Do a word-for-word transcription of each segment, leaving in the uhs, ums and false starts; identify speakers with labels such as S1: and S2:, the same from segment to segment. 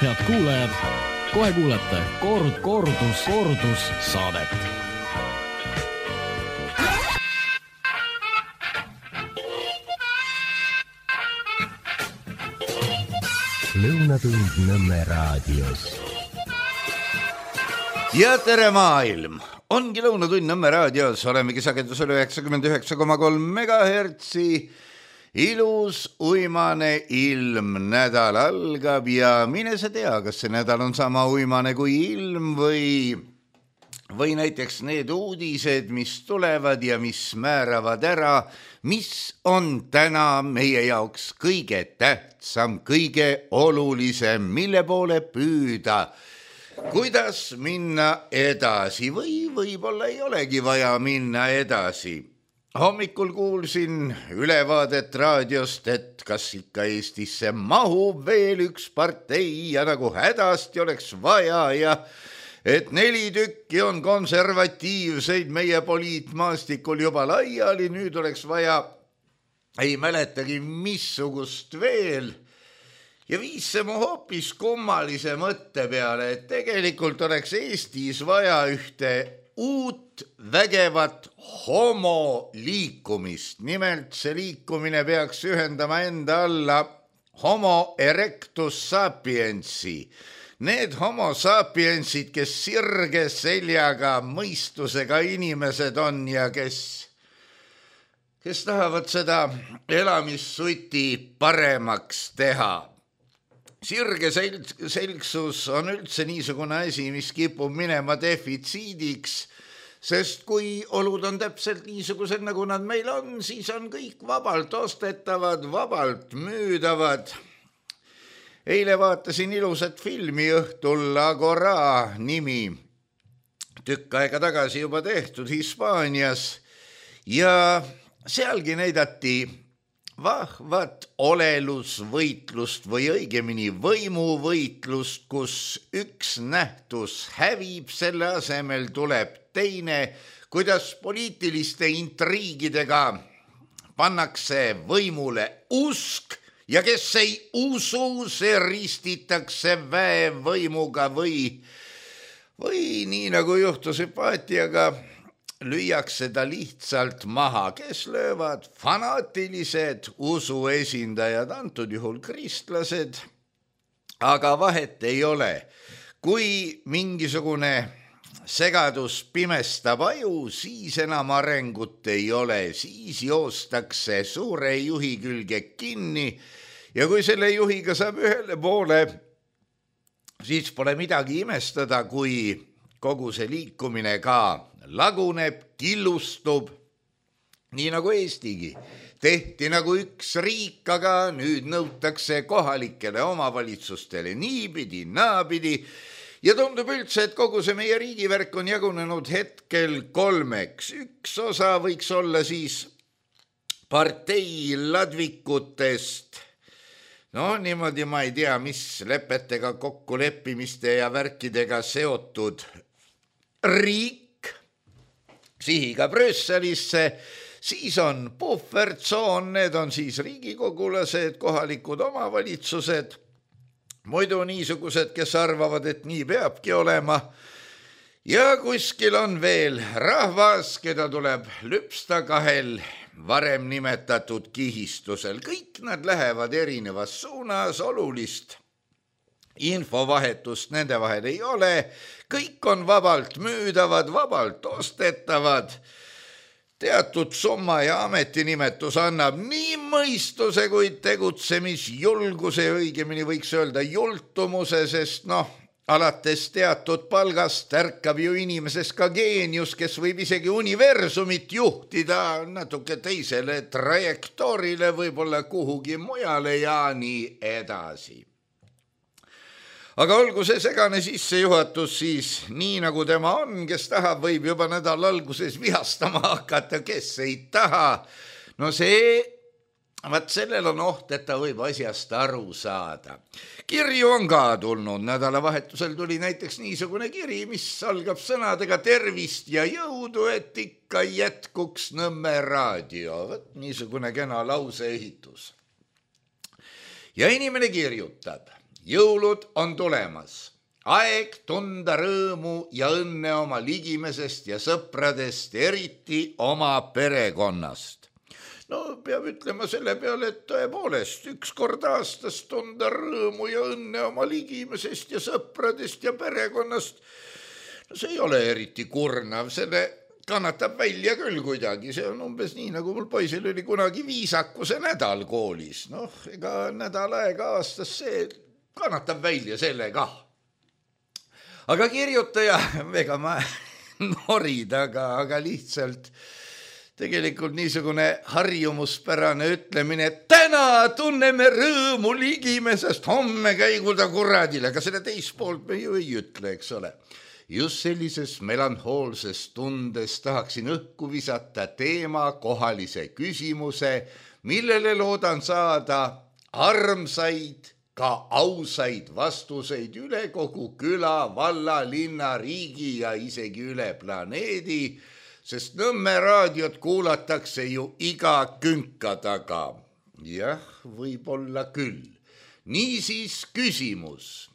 S1: Head kuulajad, kohe kuulete kord, kordus, kordus saadet.
S2: Lõunatund Nõmme raadios.
S3: Ja tere maailm! Ongi Lõunatund Nõmme raadios, olemegi sagedusel üheksakümmend üheksa koma kolm megahertsi. Ilus uimane ilm, nädal algab ja mine sa tea, kas see nädal on sama uimane kui ilm või, või näiteks need uudised, mis tulevad ja mis määravad ära, mis on täna meie jaoks kõige tähtsam, kõige olulisem, mille poole püüda, kuidas minna edasi või võib-olla ei olegi vaja minna edasi. Hommikul kuulsin ülevaadet raadiost, et kas ikka Eestisse mahub veel üks partei ja nagu hädasti oleks vaja ja et neli tükki on konservatiivseid meie poliitmaastikul juba laiali, nüüd oleks vaja, ei mäletagi missugust veel. Ja viis see mu hoopis kummalise mõtte peale, et tegelikult oleks Eestis vaja ühte uut vägevat homoliikumist. Nimelt see liikumine peaks ühendama enda alla homo erectus sapiensi. Need homo sapiensid, kes sirge seljaga, mõistusega inimesed on ja kes, kes tahavad seda elamissuti paremaks teha. Sirge selgsus on üldse niisugune asi, mis kipub minema defitsiidiks, sest kui olud on täpselt niisugused, nagu nad meil on, siis on kõik vabalt ostetavad, vabalt müüdavad. Eile vaatasin ilusat filmi õhtul Agora nimi, tükk aega tagasi juba tehtud Hispaanias ja sealgi näidati vahvat olelusvõitlust või õigemini võimuvõitlust, kus üks nähtus hävib, selle asemel tuleb teine, kuidas poliitiliste intriigidega pannakse võimule usk ja kes ei usu, see ristitakse väevõimuga või, või nii nagu juhtus Hüpaatiaga, lüüakse ta lihtsalt maha, kes löövad fanaatilised usuesindajad, antud juhul kristlased, aga vahet ei ole. Kui mingisugune segadus pimestab aju, siis enam arengut ei ole, siis joostakse suure juhi külge kinni ja kui selle juhiga saab ühele poole, siis pole midagi imestada, kui kogu see liikumine ka laguneb, killustub, nii nagu Eestigi. Tehti nagu üks riik, aga nüüd nõutakse kohalikele omavalitsustele niipidi, naapidi. Ja tundub üldse, et kogu see meie riigivärk on jagunenud hetkel kolmeks. Üks osa võiks olla siis partei ladvikutest. No niimoodi ma ei tea, mis lepetega, kokkuleppimiste ja värkidega seotud riik, sihiga Brüsselisse, siis on puhvertsoon, need on siis riigikogulased, kohalikud omavalitsused, muidu niisugused, kes arvavad, et nii peabki olema. Ja kuskil on veel rahvas, keda tuleb lüpsta kahel varem nimetatud kihistusel. Kõik nad lähevad erinevas suunas, olulist infovahetust nende vahel ei ole, kõik on vabalt müüdavad, vabalt ostetavad. Teatud summa ja ametinimetus annab nii mõistuse kui tegutsemisjulguse, õigemini võiks öelda jultumuse, sest noh, alates teatud palgast ärkab ju inimeses ka geenius, kes võib isegi universumit juhtida natuke teisele trajektoorile, võib-olla kuhugi mujale ja nii edasi. Aga olgu see segane sissejuhatus siis nii nagu tema on, kes tahab, võib juba nädal alguses vihastama hakata, kes ei taha. No see, vaat sellel on oht, et ta võib asjast aru saada. Kirju on ka tulnud, nädalavahetusel tuli näiteks niisugune kiri, mis algab sõnadega tervist ja jõudu, et ikka jätkuks Nõmme raadio. Võt niisugune kena lauseehitus. Ja inimene kirjutab. jõulud on tulemas. Aeg tunda rõõmu ja õnne oma ligimesest ja sõpradest, eriti oma perekonnast. No peab ütlema selle peale, et tõepoolest üks kord aastas tunda rõõmu ja õnne oma ligimesest ja sõpradest ja perekonnast. No see ei ole eriti kurnav, selle kannatab välja küll kuidagi. See on umbes nii, nagu mul poisil oli kunagi viisakuse nädal koolis. Noh, ega nädal aega aastas see kannatab välja selle kah. Aga kirjutaja, ega ma norid, aga, aga lihtsalt tegelikult niisugune harjumuspärane ütlemine, et täna tunneme rõõmu ligimesest, homme käigu ta kuradile, aga selle teist poolt me ju ei ütle, eks ole. Just sellises melanhoolses tundes tahaksin õhku visata teema kohalise küsimuse, millele loodan saada armsaid, ka ausaid vastuseid üle kogu küla, valla, linna, riigi ja isegi üle planeedi, sest Nõmme raadiot kuulatakse ju iga künka taga. Jah, võib-olla küll. Niisiis küsimus,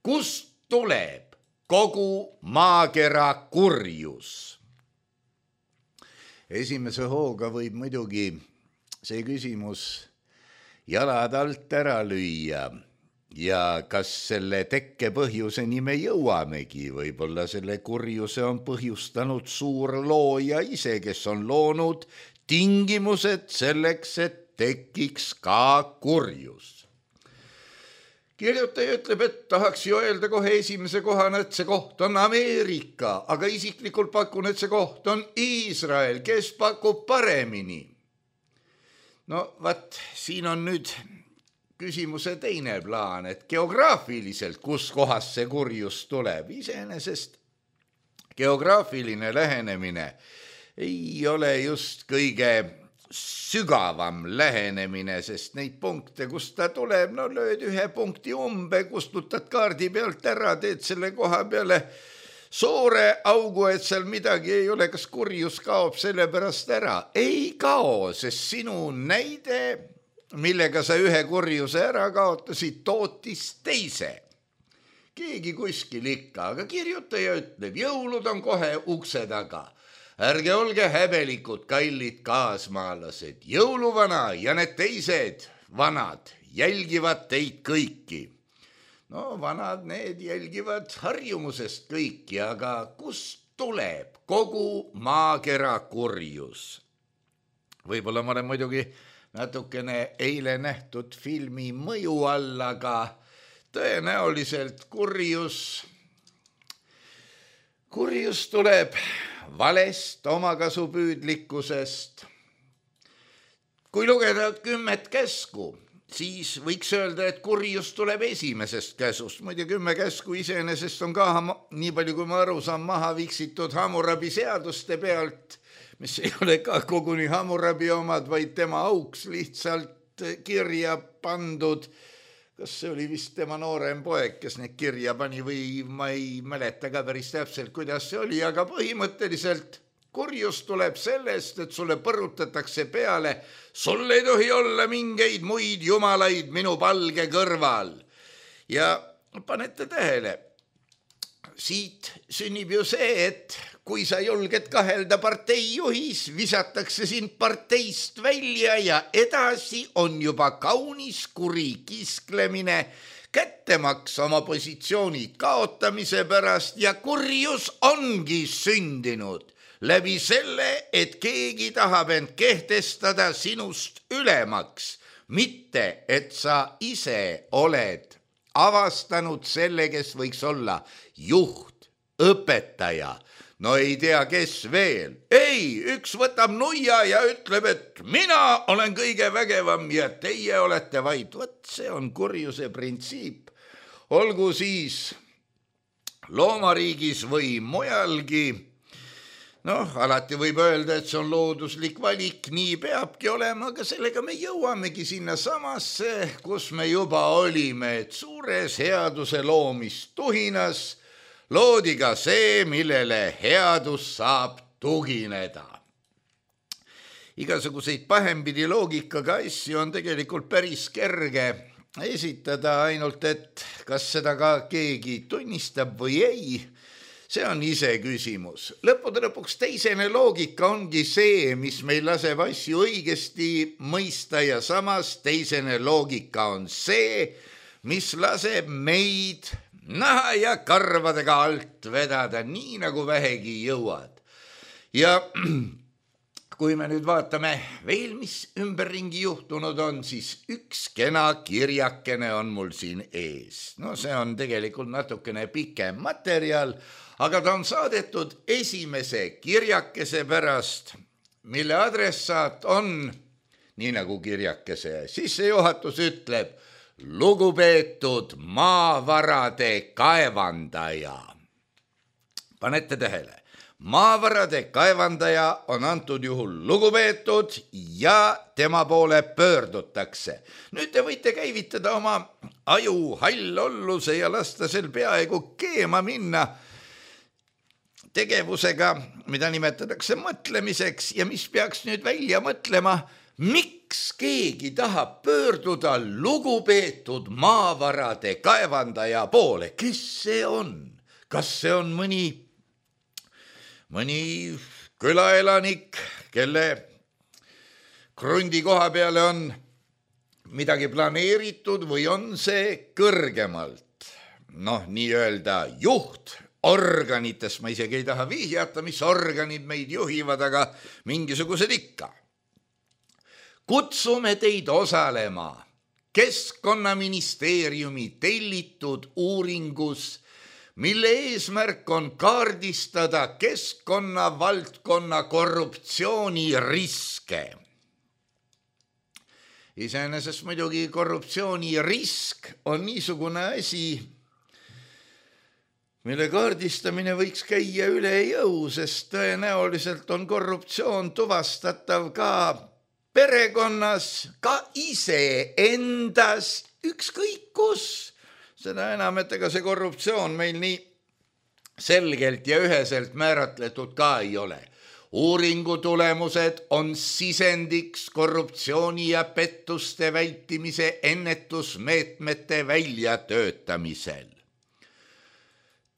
S3: kust tuleb kogu maakera kurjus? Esimese hooga võib muidugi see küsimus jalad alt ära lüüa ja kas selle tekke põhjuseni me jõuamegi, võib-olla selle kurjuse on põhjustanud suur looja ise, kes on loonud tingimused selleks, et tekiks ka kurjus. Kirjutaja ütleb, et tahaks ju öelda kohe esimese kohana, et see koht on Ameerika, aga isiklikult pakun, et see koht on Iisrael, kes pakub paremini. No vaat, siin on nüüd küsimuse teine plaan, et geograafiliselt, kus kohas see kurjus tuleb, iseenesest geograafiline lähenemine ei ole just kõige sügavam lähenemine, sest neid punkte, kust ta tuleb, no lööd ühe punkti umbe, kustutad kaardi pealt ära, teed selle koha peale suure augu, et seal midagi ei ole, kas kurjus kaob selle pärast ära? Ei kao, sest sinu näide, millega sa ühe kurjuse ära kaotasid, tootis teise. Keegi kuskil ikka, aga kirjutaja ütleb, jõulud on kohe ukse taga. Ärge olge häbelikud, kallid kaasmaalased, jõuluvana ja need teised vanad jälgivad teid kõiki. No vanad need jälgivad harjumusest kõiki, aga kust tuleb kogu maakera kurjus? Võib-olla ma olen muidugi natukene eile nähtud filmi mõju all, aga tõenäoliselt kurjus, kurjus tuleb valest, omakasupüüdlikkusest. Kui lugeda kümmet käsku, siis võiks öelda, et kurjus tuleb esimesest käsust. Muide, kümme käsku iseenesest on ka, nii palju kui ma aru saan, maha viksitud Hammurabi seaduste pealt, mis ei ole ka koguni Hammurabi omad, vaid tema auks lihtsalt kirja pandud. Kas see oli vist tema noorem poeg, kes need kirja pani või ma ei mäleta ka päris täpselt, kuidas see oli, aga põhimõtteliselt kurjus tuleb sellest, et sulle põrutatakse peale, sul ei tohi olla mingeid muid jumalaid minu palge kõrval. Ja panete tähele, siit sünnib ju see, et kui sa julged kahelda partei juhis, visatakse sind parteist välja ja edasi on juba kaunis kuri kisklemine, kättemaks oma positsiooni kaotamise pärast ja kurjus ongi sündinud läbi selle, et keegi tahab end kehtestada sinust ülemaks, mitte et sa ise oled avastanud selle, kes võiks olla juht, õpetaja, no ei tea, kes veel. Ei, üks võtab nuia ja ütleb, et mina olen kõige vägevam ja teie olete vaid. Võt, see on kurjuse printsiip. Olgu siis loomariigis või mujalgi. Noh, alati võib öelda, et see on looduslik valik, nii peabki olema, aga sellega me jõuamegi sinna samasse, kus me juba olime, et suures headuse loomistuhinas loodi ka see, millele headus saab tugineda. Igasuguseid pahempidi loogikaga asju on tegelikult päris kerge esitada, ainult et kas seda ka keegi tunnistab või ei, see on ise küsimus. Lõppude lõpuks teisene loogika ongi see, mis meil laseb asju õigesti mõista ja samas teisene loogika on see, mis laseb meid naha ja karvadega alt vedada, nii nagu vähegi jõuad. Ja kui me nüüd vaatame veel, mis ümberringi juhtunud on, siis üks kena kirjakene on mul siin ees. No see on tegelikult natukene pikem materjal, aga ta on saadetud esimese kirjakese pärast, mille adressaat on, nii nagu kirjakese sissejuhatus ütleb, lugupeetud maavarade kaevandaja. Panete tähele, maavarade kaevandaja on antud juhul lugupeetud ja tema poole pöördutakse. Nüüd te võite käivitada oma aju hallolluse ja lasta sel peaaegu keema minna tegevusega, mida nimetatakse mõtlemiseks ja mis peaks nüüd välja mõtlema, miks keegi tahab pöörduda lugupeetud maavarade kaevandaja poole? Kes see on? Kas see on mõni, mõni külaelanik, kelle krundi koha peale on midagi planeeritud või on see kõrgemalt? Noh, nii öelda juht organitest, ma isegi ei taha vihjata, mis organid meid juhivad, aga mingisugused ikka. Kutsume teid osalema Keskkonnaministeeriumi tellitud uuringus, mille eesmärk on kaardistada keskkonnavaldkonna korruptsiooniriske. Iseenesest muidugi korruptsioonirisk on niisugune asi, mille kaardistamine võiks käia üle jõu, sest tõenäoliselt on korruptsioon tuvastatav ka perekonnas, ka iseendas, ükskõik kus. Seda enam, et ega see korruptsioon meil nii selgelt ja üheselt määratletud ka ei ole. Uuringu tulemused on sisendiks korruptsiooni ja pettuste vältimise ennetusmeetmete väljatöötamisel.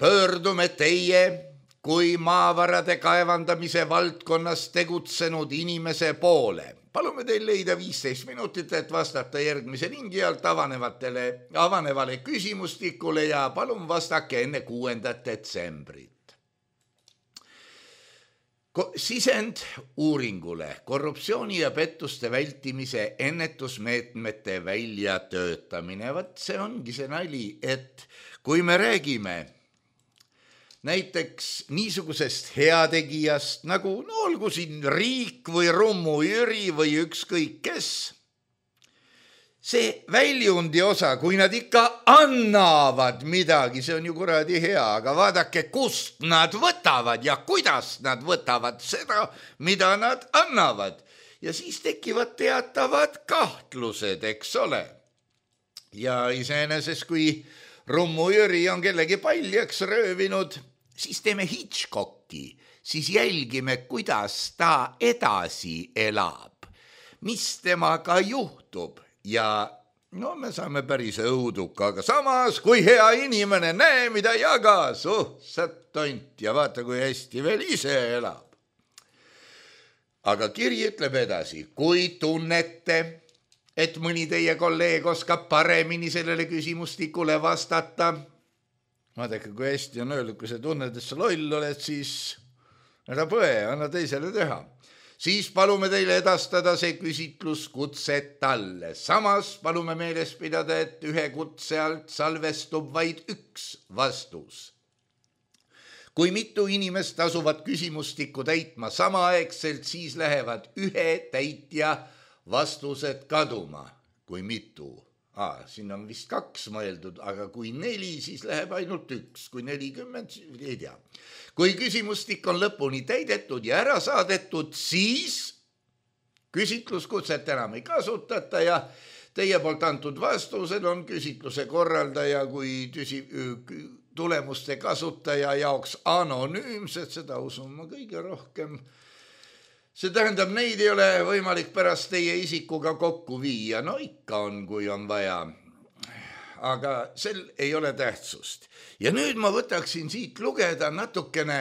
S3: Pöördume teie kui maavarade kaevandamise valdkonnas tegutsenud inimese poole. Palume teil leida viisteist minutit, et vastata järgmise lingi alt avanevatele, avanevale küsimustikule ja palun vastake enne kuuendat detsembrit. Sisend uuringule korruptsiooni ja pettuste vältimise ennetusmeetmete väljatöötamine. Vat see ongi see nali, et kui me räägime näiteks niisugusest heategijast, nagu no olgu siin riik või Rummu Jüri või ükskõik kes, see väljundi osa, kui nad ikka annavad midagi, see on ju kuradi hea, aga vaadake, kust nad võtavad ja kuidas nad võtavad seda, mida nad annavad. Ja siis tekivad teatavad kahtlused, eks ole. Ja iseenesest, kui Rummu Jüri on kellegi paljaks röövinud, siis teeme Hitchcocki, siis jälgime, kuidas ta edasi elab, mis temaga juhtub ja no me saame päris õuduka, aga samas kui hea inimene, näe mida jagas, oh, sa tont ja vaata, kui hästi veel ise elab. Aga kiri ütleb edasi, kui tunnete, et mõni teie kolleeg oskab paremini sellele küsimustikule vastata, vaadake, kui hästi on öeldud, kui sa tunned, et sa loll oled, siis ära põe, anna teisele teha. Siis palume teile edastada see küsitlus kutse talle. Samas palume meeles pidada, et ühe kutse alt salvestub vaid üks vastus. Kui mitu inimest asuvad küsimustikku täitma samaaegselt, siis lähevad ühe täitja vastused kaduma. Kui mitu? Aa, siin on vist kaks mõeldud, aga kui neli, siis läheb ainult üks. Kui nelikümmend, ei tea. Kui küsimustik on lõpuni täidetud ja ära saadetud, siis küsitluskutset enam ei kasutata ja teie poolt antud vastused on küsitluse korraldaja kui tüsi, tulemuste kasutaja jaoks anonüümsed, seda usun ma kõige rohkem. See tähendab, neid ei ole võimalik pärast teie isikuga kokku viia. No ikka on, kui on vaja. aga sel ei ole tähtsust. Ja nüüd ma võtaksin siit lugeda natukene,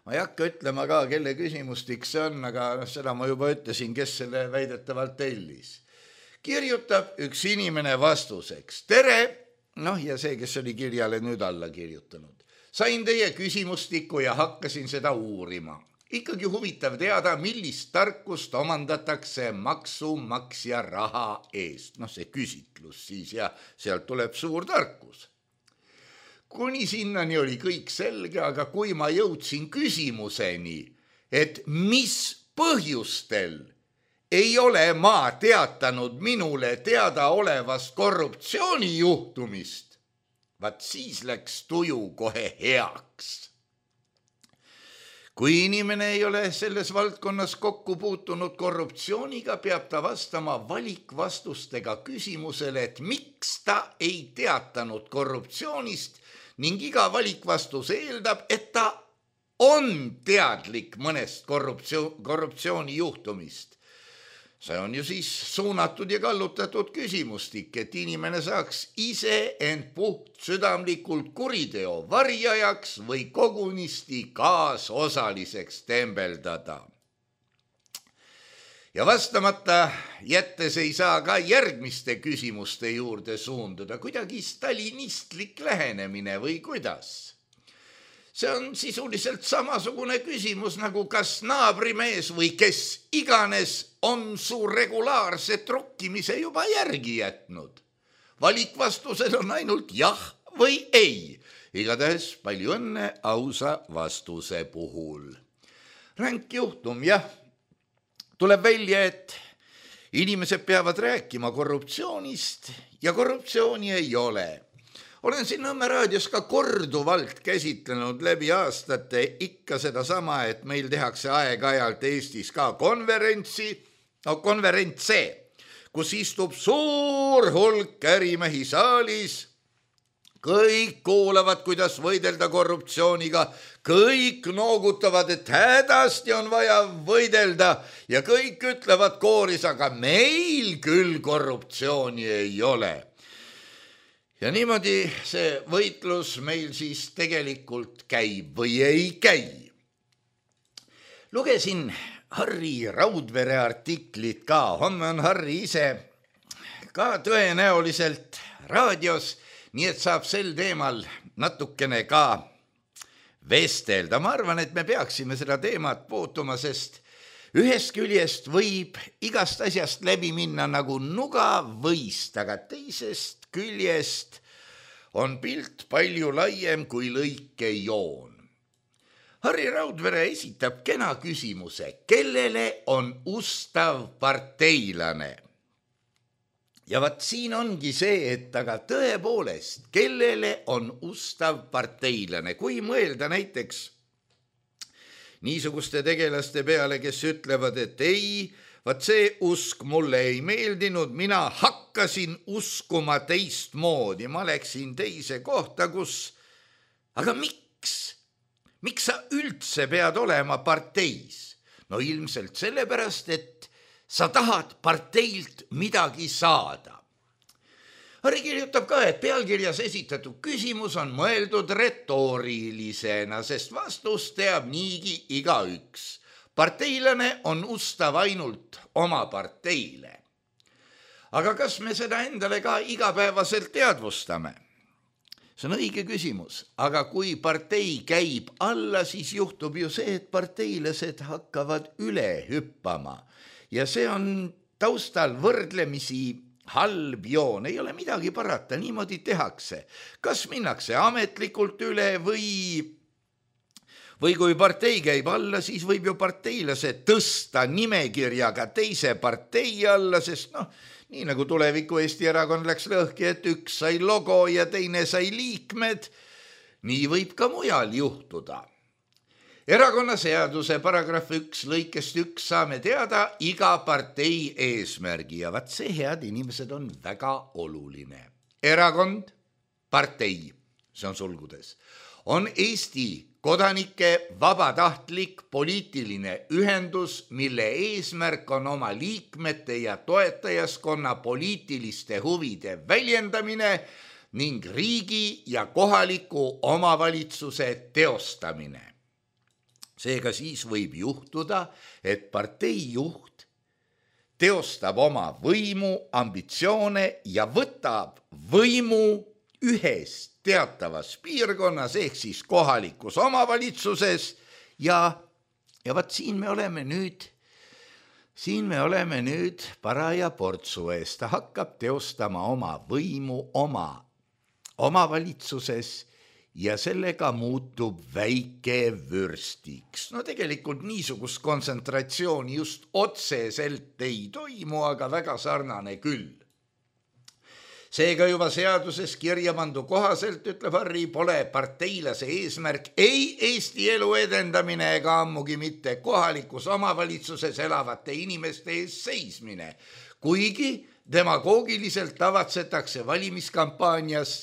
S3: ma ei hakka ütlema ka, kelle küsimustik see on, aga seda ma juba ütlesin, kes selle väidetavalt tellis. Kirjutab üks inimene vastuseks. Tere, noh ja see, kes oli kirjale nüüd alla kirjutanud. Sain teie küsimustiku ja hakkasin seda uurima. Ikkagi huvitav teada, millist tarkust omandatakse maksumaksja raha eest. Noh, see küsitlus siis ja sealt tuleb suur tarkus. Kuni sinnani oli kõik selge, aga kui ma jõudsin küsimuseni, et mis põhjustel ei ole ma teatanud minule teada olevast korruptsioonijuhtumist, vaat siis läks tuju kohe heaks. Kui inimene ei ole selles valdkonnas kokku puutunud korruptsiooniga, peab ta vastama valikvastustega küsimusele, et miks ta ei teatanud korruptsioonist ning iga valikvastus eeldab, et ta on teadlik mõnest korruptsioon, korruptsioonijuhtumist. See on ju siis suunatud ja kallutatud küsimustik, et inimene saaks ise end puht südamlikult kuriteo varjajaks või kogunisti kaasosaliseks tembeldada. Ja vastamata jättes ei saa ka järgmiste küsimuste juurde suunduda, kuidagi stalinistlik lähenemine või kuidas. See on sisuliselt samasugune küsimus, nagu kas naabrimees või kes iganes on su regulaarse trokkimise juba järgi jätnud. Valikvastused on ainult jah või ei. Igatahes palju õnne ausa vastuse puhul. Ränk juhtum, jah. Tuleb välja, et inimesed peavad rääkima korruptsioonist ja korruptsiooni ei ole. Olen siin Nõmme raadios ka korduvalt käsitlenud läbi aastate ikka seda sama, et meil tehakse aeg-ajalt Eestis ka konverentsi, no konverentse, kus istub suur hulk ärimehi saalis. Kõik kuulavad, kuidas võidelda korruptsiooniga, kõik noogutavad, et hädasti on vaja võidelda ja kõik ütlevad kooris, aga meil küll korruptsiooni ei ole. Ja niimoodi see võitlus meil siis tegelikult käib või ei käi. Lugesin Harri Raudvere artiklit ka, homme on Harri ise ka tõenäoliselt raadios, nii et saab sel teemal natukene ka vestelda. Ma arvan, et me peaksime seda teemat puutuma, sest ühest küljest võib igast asjast läbi minna nagu nuga võist, aga teisest küljest on pilt palju laiem kui lõikejoon. Harri Raudvere esitab kena küsimuse, kellele on ustav parteilane? Ja vaat siin ongi see, et aga tõepoolest, kellele on ustav parteilane? Kui mõelda näiteks niisuguste tegelaste peale, kes ütlevad, et ei, vaat see usk mulle ei meeldinud, mina hakkasin uskuma teistmoodi, ma läksin teise kohta, kus, aga miks? Miks sa üldse pead olema parteis? No ilmselt sellepärast, et sa tahad parteilt midagi saada. Harri kirjutab ka, et pealkirjas esitatud küsimus on mõeldud retoorilisena, sest vastus teab niigi igaüks. Parteilane on ustav ainult oma parteile. Aga kas me seda endale ka igapäevaselt teadvustame? See on õige küsimus, aga kui partei käib alla, siis juhtub ju see, et parteilased hakkavad üle hüppama. Ja see on taustal võrdlemisi halb joon, ei ole midagi parata, niimoodi tehakse. Kas minnakse ametlikult üle või, või kui partei käib alla, siis võib ju parteilased tõsta nimekirjaga teise partei alla, sest noh, nii nagu Tuleviku Eesti Erakond läks lõhki, et üks sai logo ja teine sai liikmed, nii võib ka mujal juhtuda. Erakonnaseaduse paragrahv üks lõikest üks saame teada iga partei eesmärgi ja vaat see, head inimesed, on väga oluline. Erakond, partei, see on sulgudes, on Eesti kodanike vabatahtlik poliitiline ühendus, mille eesmärk on oma liikmete ja toetajaskonna poliitiliste huvide väljendamine ning riigi ja kohaliku omavalitsuse teostamine. Seega siis võib juhtuda, et partei juht teostab oma võimu, ambitsioone ja võtab võimu ühest teatavas piirkonnas ehk siis kohalikus omavalitsuses ja, ja vaat siin me oleme nüüd, siin me oleme nüüd paraja portsu ees. Ta hakkab teostama oma võimu oma omavalitsuses ja sellega muutub väike vürstiks. No tegelikult niisugust kontsentratsiooni just otseselt ei toimu, aga väga sarnane küll. Seega juba seaduses kirja pandu kohaselt, ütleb Harri, pole parteilase eesmärk ei Eesti elu edendamine ega ammugi mitte kohalikus omavalitsuses elavate inimeste ees seismine, kuigi demagoogiliselt tavatsetakse valimiskampaanias,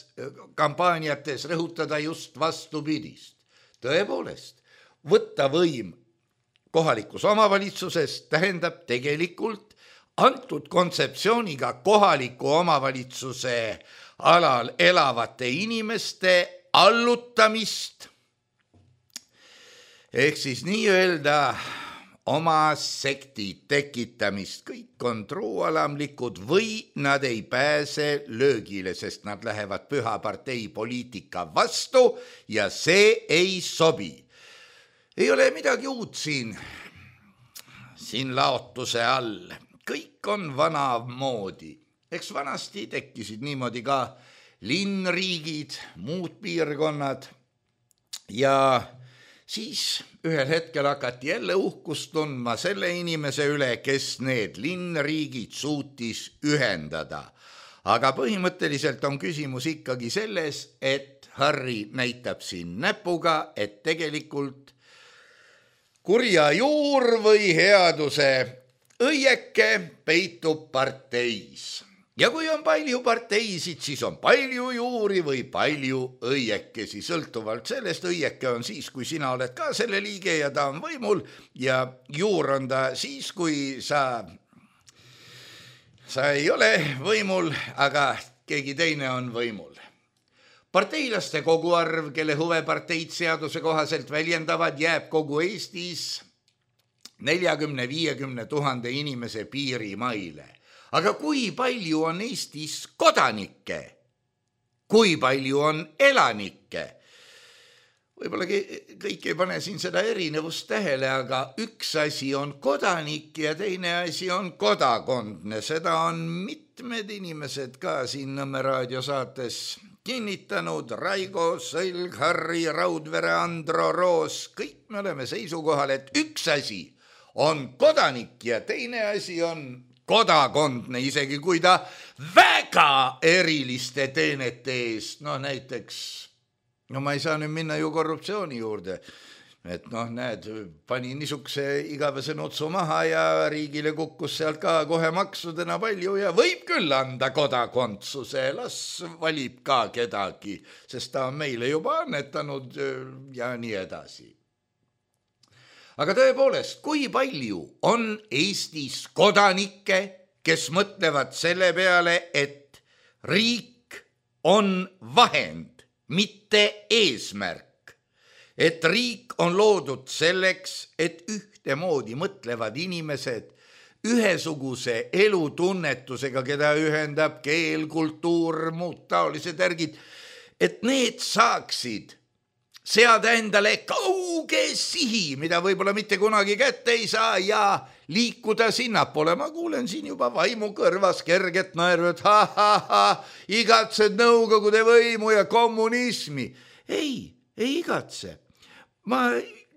S3: kampaaniates rõhutada just vastupidist. Tõepoolest, võtta võim kohalikus omavalitsuses tähendab tegelikult antud kontseptsiooniga kohaliku omavalitsuse alal elavate inimeste allutamist ehk siis nii-öelda oma sekti tekitamist. Kõik on truualamlikud või nad ei pääse löögile, sest nad lähevad püha partei poliitika vastu ja see ei sobi. Ei ole midagi uut siin, siin laotuse all. Kõik on vana moodi. Eks vanasti tekkisid niimoodi ka linnriigid, muud piirkonnad ja siis ühel hetkel hakati jälle uhkust tundma selle inimese üle, kes need linnriigid suutis ühendada. Aga põhimõtteliselt on küsimus ikkagi selles, et Harri näitab siin näpuga, et tegelikult kurja juur või headuse õieke peitub parteis. Ja kui on palju parteisid, siis on palju juuri või palju õiekesi. Sõltuvalt sellest, õieke on siis, kui sina oled ka selle liige ja ta on võimul ja juur on ta siis, kui sa, sa ei ole võimul, aga keegi teine on võimul. Parteilaste koguarv, kelle huve parteid seaduse kohaselt väljendavad, jääb kogu Eestis neljakümne viiekümne tuhande inimese piirimaile. Aga kui palju on Eestis kodanikke? Kui palju on elanikke? Võib-olla kõik ei pane siin seda erinevust tähele, aga üks asi on kodanik ja teine asi on kodakondne. Seda on mitmed inimesed ka siin Nõmme raadiosaates kinnitanud. Raigo, Sõlg, Harri, Raudvere, Andro, Roos. Kõik me oleme seisukohal, et üks asi on kodanik ja teine asi on kodakondne, isegi kui ta väga eriliste teenete eest, no näiteks, no ma ei saa nüüd minna ju korruptsiooni juurde, et noh, näed, pani niisuguse igavese nutsu maha ja riigile kukkus sealt ka kohe maksudena palju ja võib küll anda kodakondsuse, las valib ka kedagi, sest ta on meile juba annetanud ja nii edasi. Aga tõepoolest, kui palju on Eestis kodanikke, kes mõtlevad selle peale, et riik on vahend, mitte eesmärk. Et riik on loodud selleks, et ühtemoodi mõtlevad inimesed ühesuguse elutunnetusega, keda ühendab keel, kultuur, muud taolised järgid, et need saaksid seada endale kauge sihi, mida võib-olla mitte kunagi kätte ei saa ja liikuda sinnapoole. Ma kuulen siin juba vaimu kõrvas kerget naeru, et ha, ha, ha, igatsed nõukogude võimu ja kommunismi. Ei, ei igatse. Ma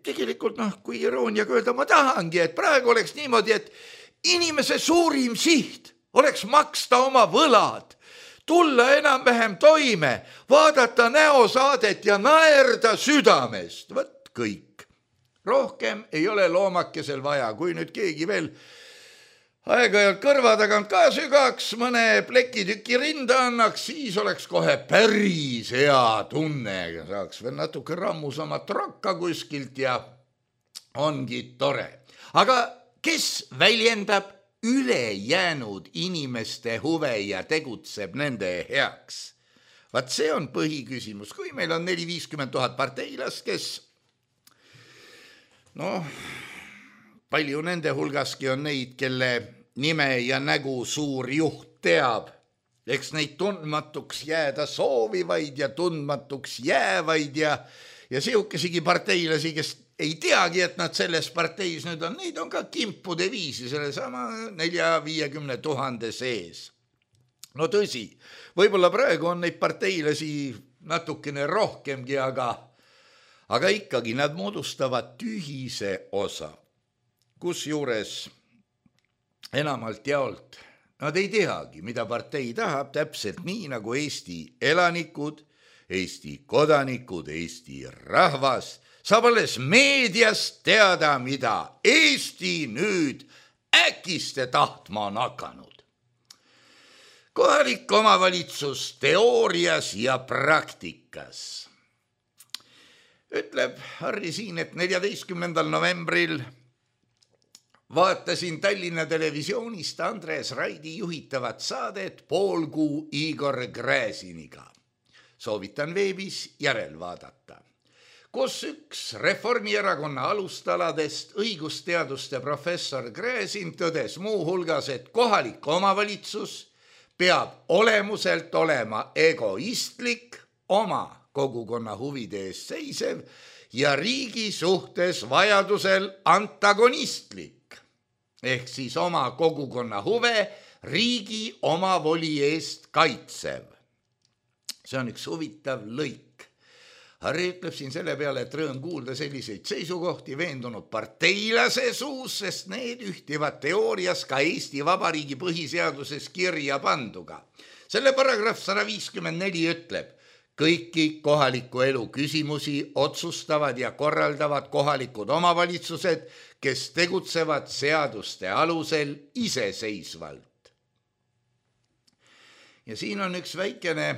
S3: tegelikult, noh, kui irooniaga öelda, ma tahangi, et praegu oleks niimoodi, et inimese suurim siht oleks maksta oma võlad, tulla enam-vähem toime, vaadata näosaadet ja naerda südamest. Võt kõik. Rohkem ei ole loomakesel vaja. Kui nüüd keegi veel aeg-ajalt kõrva tagant ka sügaks, mõne plekitüki rinda annaks, siis oleks kohe päris hea tunne, saaks veel natuke rammusamat rokka kuskilt ja ongi tore. Aga kes väljendab ülejäänud inimeste huve ja tegutseb nende heaks? Vaat see on põhiküsimus, kui meil on neli viiskümmend tuhat parteilast, kes noh, palju nende hulgaski on neid, kelle nime ja nägu suur juht teab, eks neid tundmatuks jääda soovivaid ja tundmatuks jäävaid ja, ja sihukesigi parteilasi, kes ei teagi, et nad selles parteis nüüd on, neid on ka kimpude viisi selle sama nelja viiekümne tuhande sees. No tõsi, võib-olla praegu on neid parteilasi natukene rohkemgi, aga, aga ikkagi nad moodustavad tühise osa, kus juures enamalt jaolt nad ei teagi, mida partei tahab, täpselt nii nagu Eesti elanikud, Eesti kodanikud, Eesti rahvas saab alles meediast teada, mida Eesti nüüd äkiste tahtma on hakanud. Kohalik omavalitsus teoorias ja praktikas. Ütleb Harri siin, et neljateistkümnendal novembril vaatasin Tallinna televisioonist Andres Raidi juhitavat saadet Poolkuu Igor Gräziniga. Soovitan veebis järel vaadata. Kus üks Reformierakonna alustaladest õigusteaduste professor Gräzin tõdes muu hulgas, et kohalik omavalitsus peab olemuselt olema egoistlik, oma kogukonna huvide eest seisev ja riigi suhtes vajadusel antagonistlik, ehk siis oma kogukonna huve riigi omavoli eest kaitsev. See on üks huvitav lõik. Harri ütleb siin selle peale, et rõõm kuulda selliseid seisukohti veendunud parteilase suus, sest need ühtivad teoorias ka Eesti Vabariigi põhiseaduses kirja panduga. Selle paragrahv sada viiskümmend neli ütleb, kõiki kohaliku elu küsimusi otsustavad ja korraldavad kohalikud omavalitsused, kes tegutsevad seaduste alusel iseseisvalt. Ja siin on üks väikene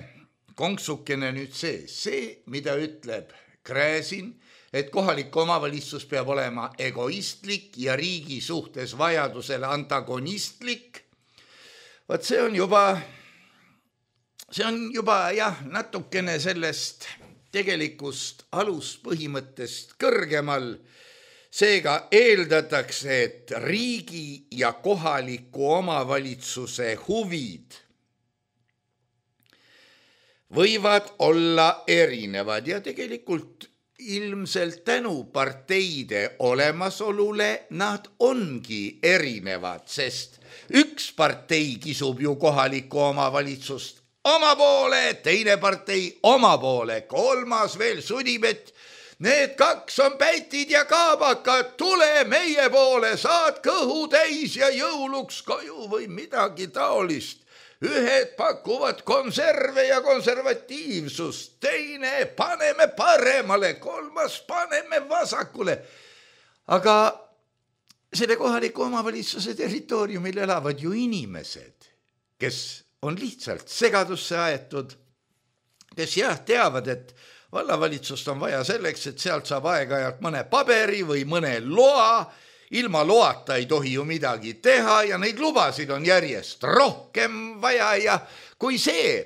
S3: konksukene nüüd see, see, mida ütleb Gräzin, et kohalik omavalitsus peab olema egoistlik ja riigi suhtes vajadusel antagonistlik. Vaat see on juba, see on juba jah, natukene sellest tegelikust aluspõhimõttest kõrgemal. Seega eeldatakse, et riigi ja kohaliku omavalitsuse huvid võivad olla erinevad ja tegelikult ilmselt tänu parteide olemasolule nad ongi erinevad, sest üks partei kisub ju kohalikku omavalitsust oma poole, teine partei oma poole, kolmas veel sudib, et need kaks on pätid ja kaabakad, tule meie poole, saad kõhu täis ja jõuluks koju või midagi taolist. Ühed pakuvad konserve ja konservatiivsust, teine paneme paremale, kolmas paneme vasakule. Aga selle kohaliku omavalitsuse territooriumil elavad ju inimesed, kes on lihtsalt segadusse aetud, kes jah teavad, et vallavalitsust on vaja selleks, et sealt saab aeg-ajalt mõne paberi või mõne loa. Ilma loata ei tohi ju midagi teha ja neid lubasid on järjest rohkem vaja ja kui see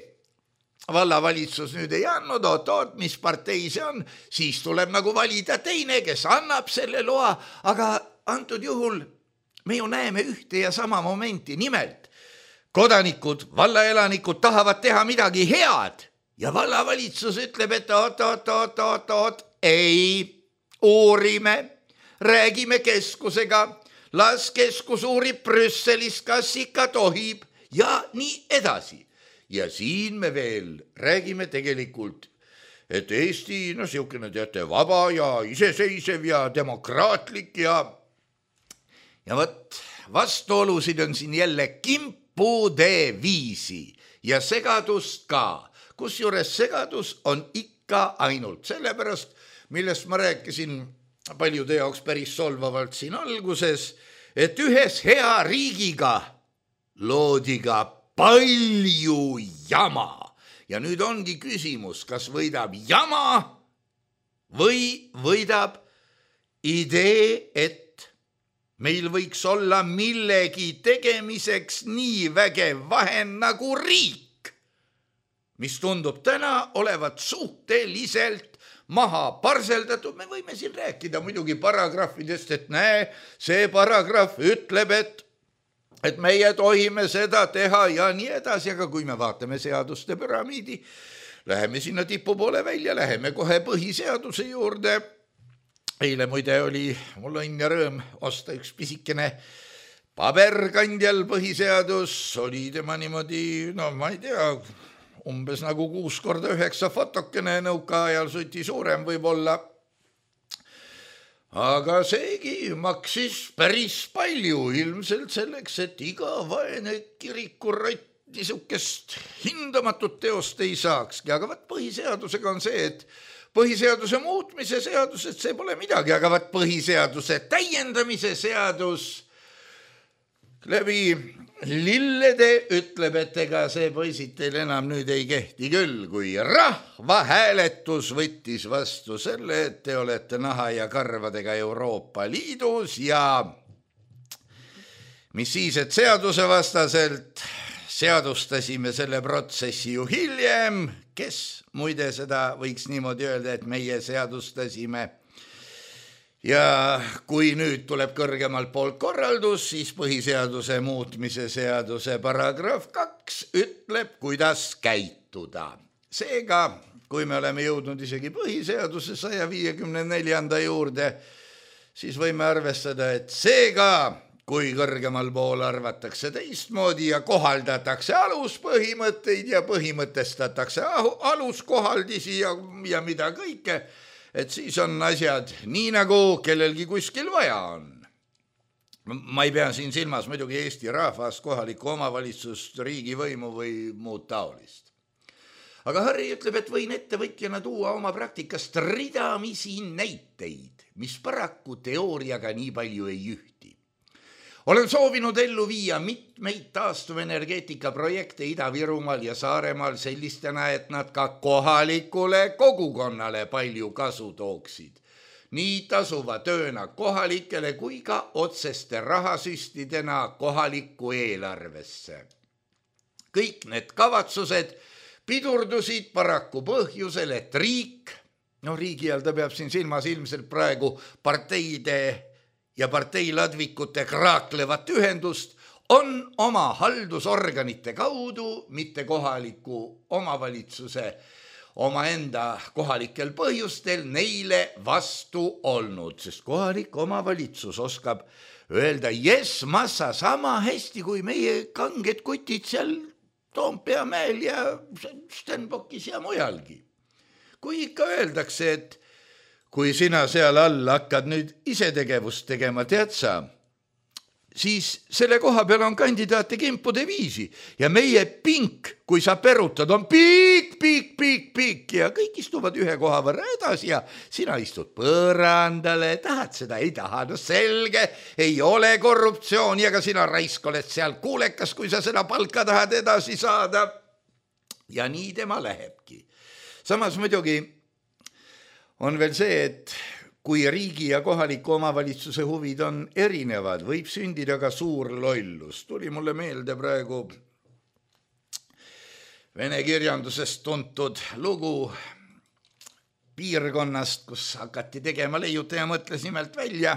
S3: vallavalitsus nüüd ei andnud, oot, oot, mis partei see on, siis tuleb nagu valida teine, kes annab selle loa, aga antud juhul me ju näeme ühte ja sama momenti, nimelt kodanikud, vallaelanikud tahavad teha midagi head ja vallavalitsus ütleb, et oot, oot, oot, oot, oot, ei, uurime, räägime keskusega, las keskus uurib Brüsselis, kas ikka tohib ja nii edasi. Ja siin me veel räägime tegelikult, et Eesti, no siukene teate, vaba ja iseseisev ja demokraatlik ja ja võt, vastuolusid on siin jälle kimpude viisi ja segadust ka, kus juures segadus on ikka ainult sellepärast, millest ma rääkisin paljude jaoks päris solvavalt siin alguses, et ühes hea riigiga loodi ka palju jama. Ja nüüd ongi küsimus, kas võidab jama või võidab idee, et meil võiks olla millegi tegemiseks nii vägev vahend nagu riik, mis tundub täna olevat suhteliselt maha parseldatud. Me võime siin rääkida muidugi paragrahvidest, et näe, see paragrahv ütleb, et et meie tohime seda teha ja nii edasi, aga kui me vaatame seaduste püramiidi, läheme sinna tipu poole välja, läheme kohe põhiseaduse juurde. Eile muide oli mul õnn ja rõõm osta üks pisikene paberkandjal põhiseadus, oli tema niimoodi, no ma ei tea, umbes nagu kuus korda üheksa fotokene, nõuka ajal suti suurem võib-olla. Aga seegi maksis päris palju ilmselt selleks, et iga vaene kirikurott niisugust hindamatut teost ei saakski. Aga vaat põhiseadusega on see, et põhiseaduse muutmise seadus, et see pole midagi, aga vaat põhiseaduse täiendamise seadus läbi lillede ütleb, et ega see poisid teil enam nüüd ei kehti küll, kui rahvahääletus võttis vastu selle, et te olete naha ja karvadega Euroopa Liidus ja mis siis, et seaduse vastaselt seadustasime selle protsessi ju hiljem, kes muide seda võiks niimoodi öelda, et meie seadustasime. Ja kui nüüd tuleb kõrgemalt poolt korraldus, siis põhiseaduse muutmise seaduse paragrahv kaks ütleb, kuidas käituda. Seega, kui me oleme jõudnud isegi põhiseaduse saja viiekümne neljanda juurde, siis võime arvestada, et seega, kui kõrgemal pool arvatakse teistmoodi ja kohaldatakse aluspõhimõtteid ja põhimõtestatakse aluskohaldisi ja, ja mida kõike, et siis on asjad nii nagu kellelgi kuskil vaja on. Ma ei pea siin silmas muidugi Eesti rahvast, kohalikku omavalitsust, riigivõimu või muud taolist. Aga Harri ütleb, et võin ettevõtjana tuua oma praktikast ridamisi näiteid, mis paraku teooriaga nii palju ei ühti. Olen soovinud ellu viia mitmeid taastuvenergeetika projekte Ida-Virumaal ja Saaremaal sellistena, et nad ka kohalikule kogukonnale palju kasu tooksid. Nii tasuva tööna kohalikele kui ka otseste rahasüstidena kohalikku eelarvesse. Kõik need kavatsused pidurdusid paraku põhjusel, et riik, no riigi all ta peab siin silmas ilmselt praegu parteide ja parteiladvikute kraaklevat ühendust, on oma haldusorganite kaudu, mitte kohaliku omavalitsuse omaenda kohalikel põhjustel neile vastu olnud, sest kohalik omavalitsus oskab öelda, jes, massa sama hästi kui meie kanged kutid seal Toompea mäel ja Stenbockis ja mujalgi. Kui ikka öeldakse, et kui sina seal all hakkad nüüd ise tegevust tegema, tead sa, siis selle koha peal on kandidaate kimpude viisi ja meie pink, kui sa perutad, on piik, piik, piik, piik ja kõik istuvad ühe koha võrra edasi ja sina istud põrandale, tahad seda, ei taha, no selge, ei ole korruptsiooni, aga sina raisk oled seal kuulekas, kui sa seda palka tahad edasi saada. Ja nii tema lähebki. Samas muidugi on veel see, et kui riigi ja kohaliku omavalitsuse huvid on erinevad, võib sündida ka suur lollus. Tuli mulle meelde praegu vene kirjandusest tuntud lugu piirkonnast, kus hakati tegema leiutaja mõtles nimelt välja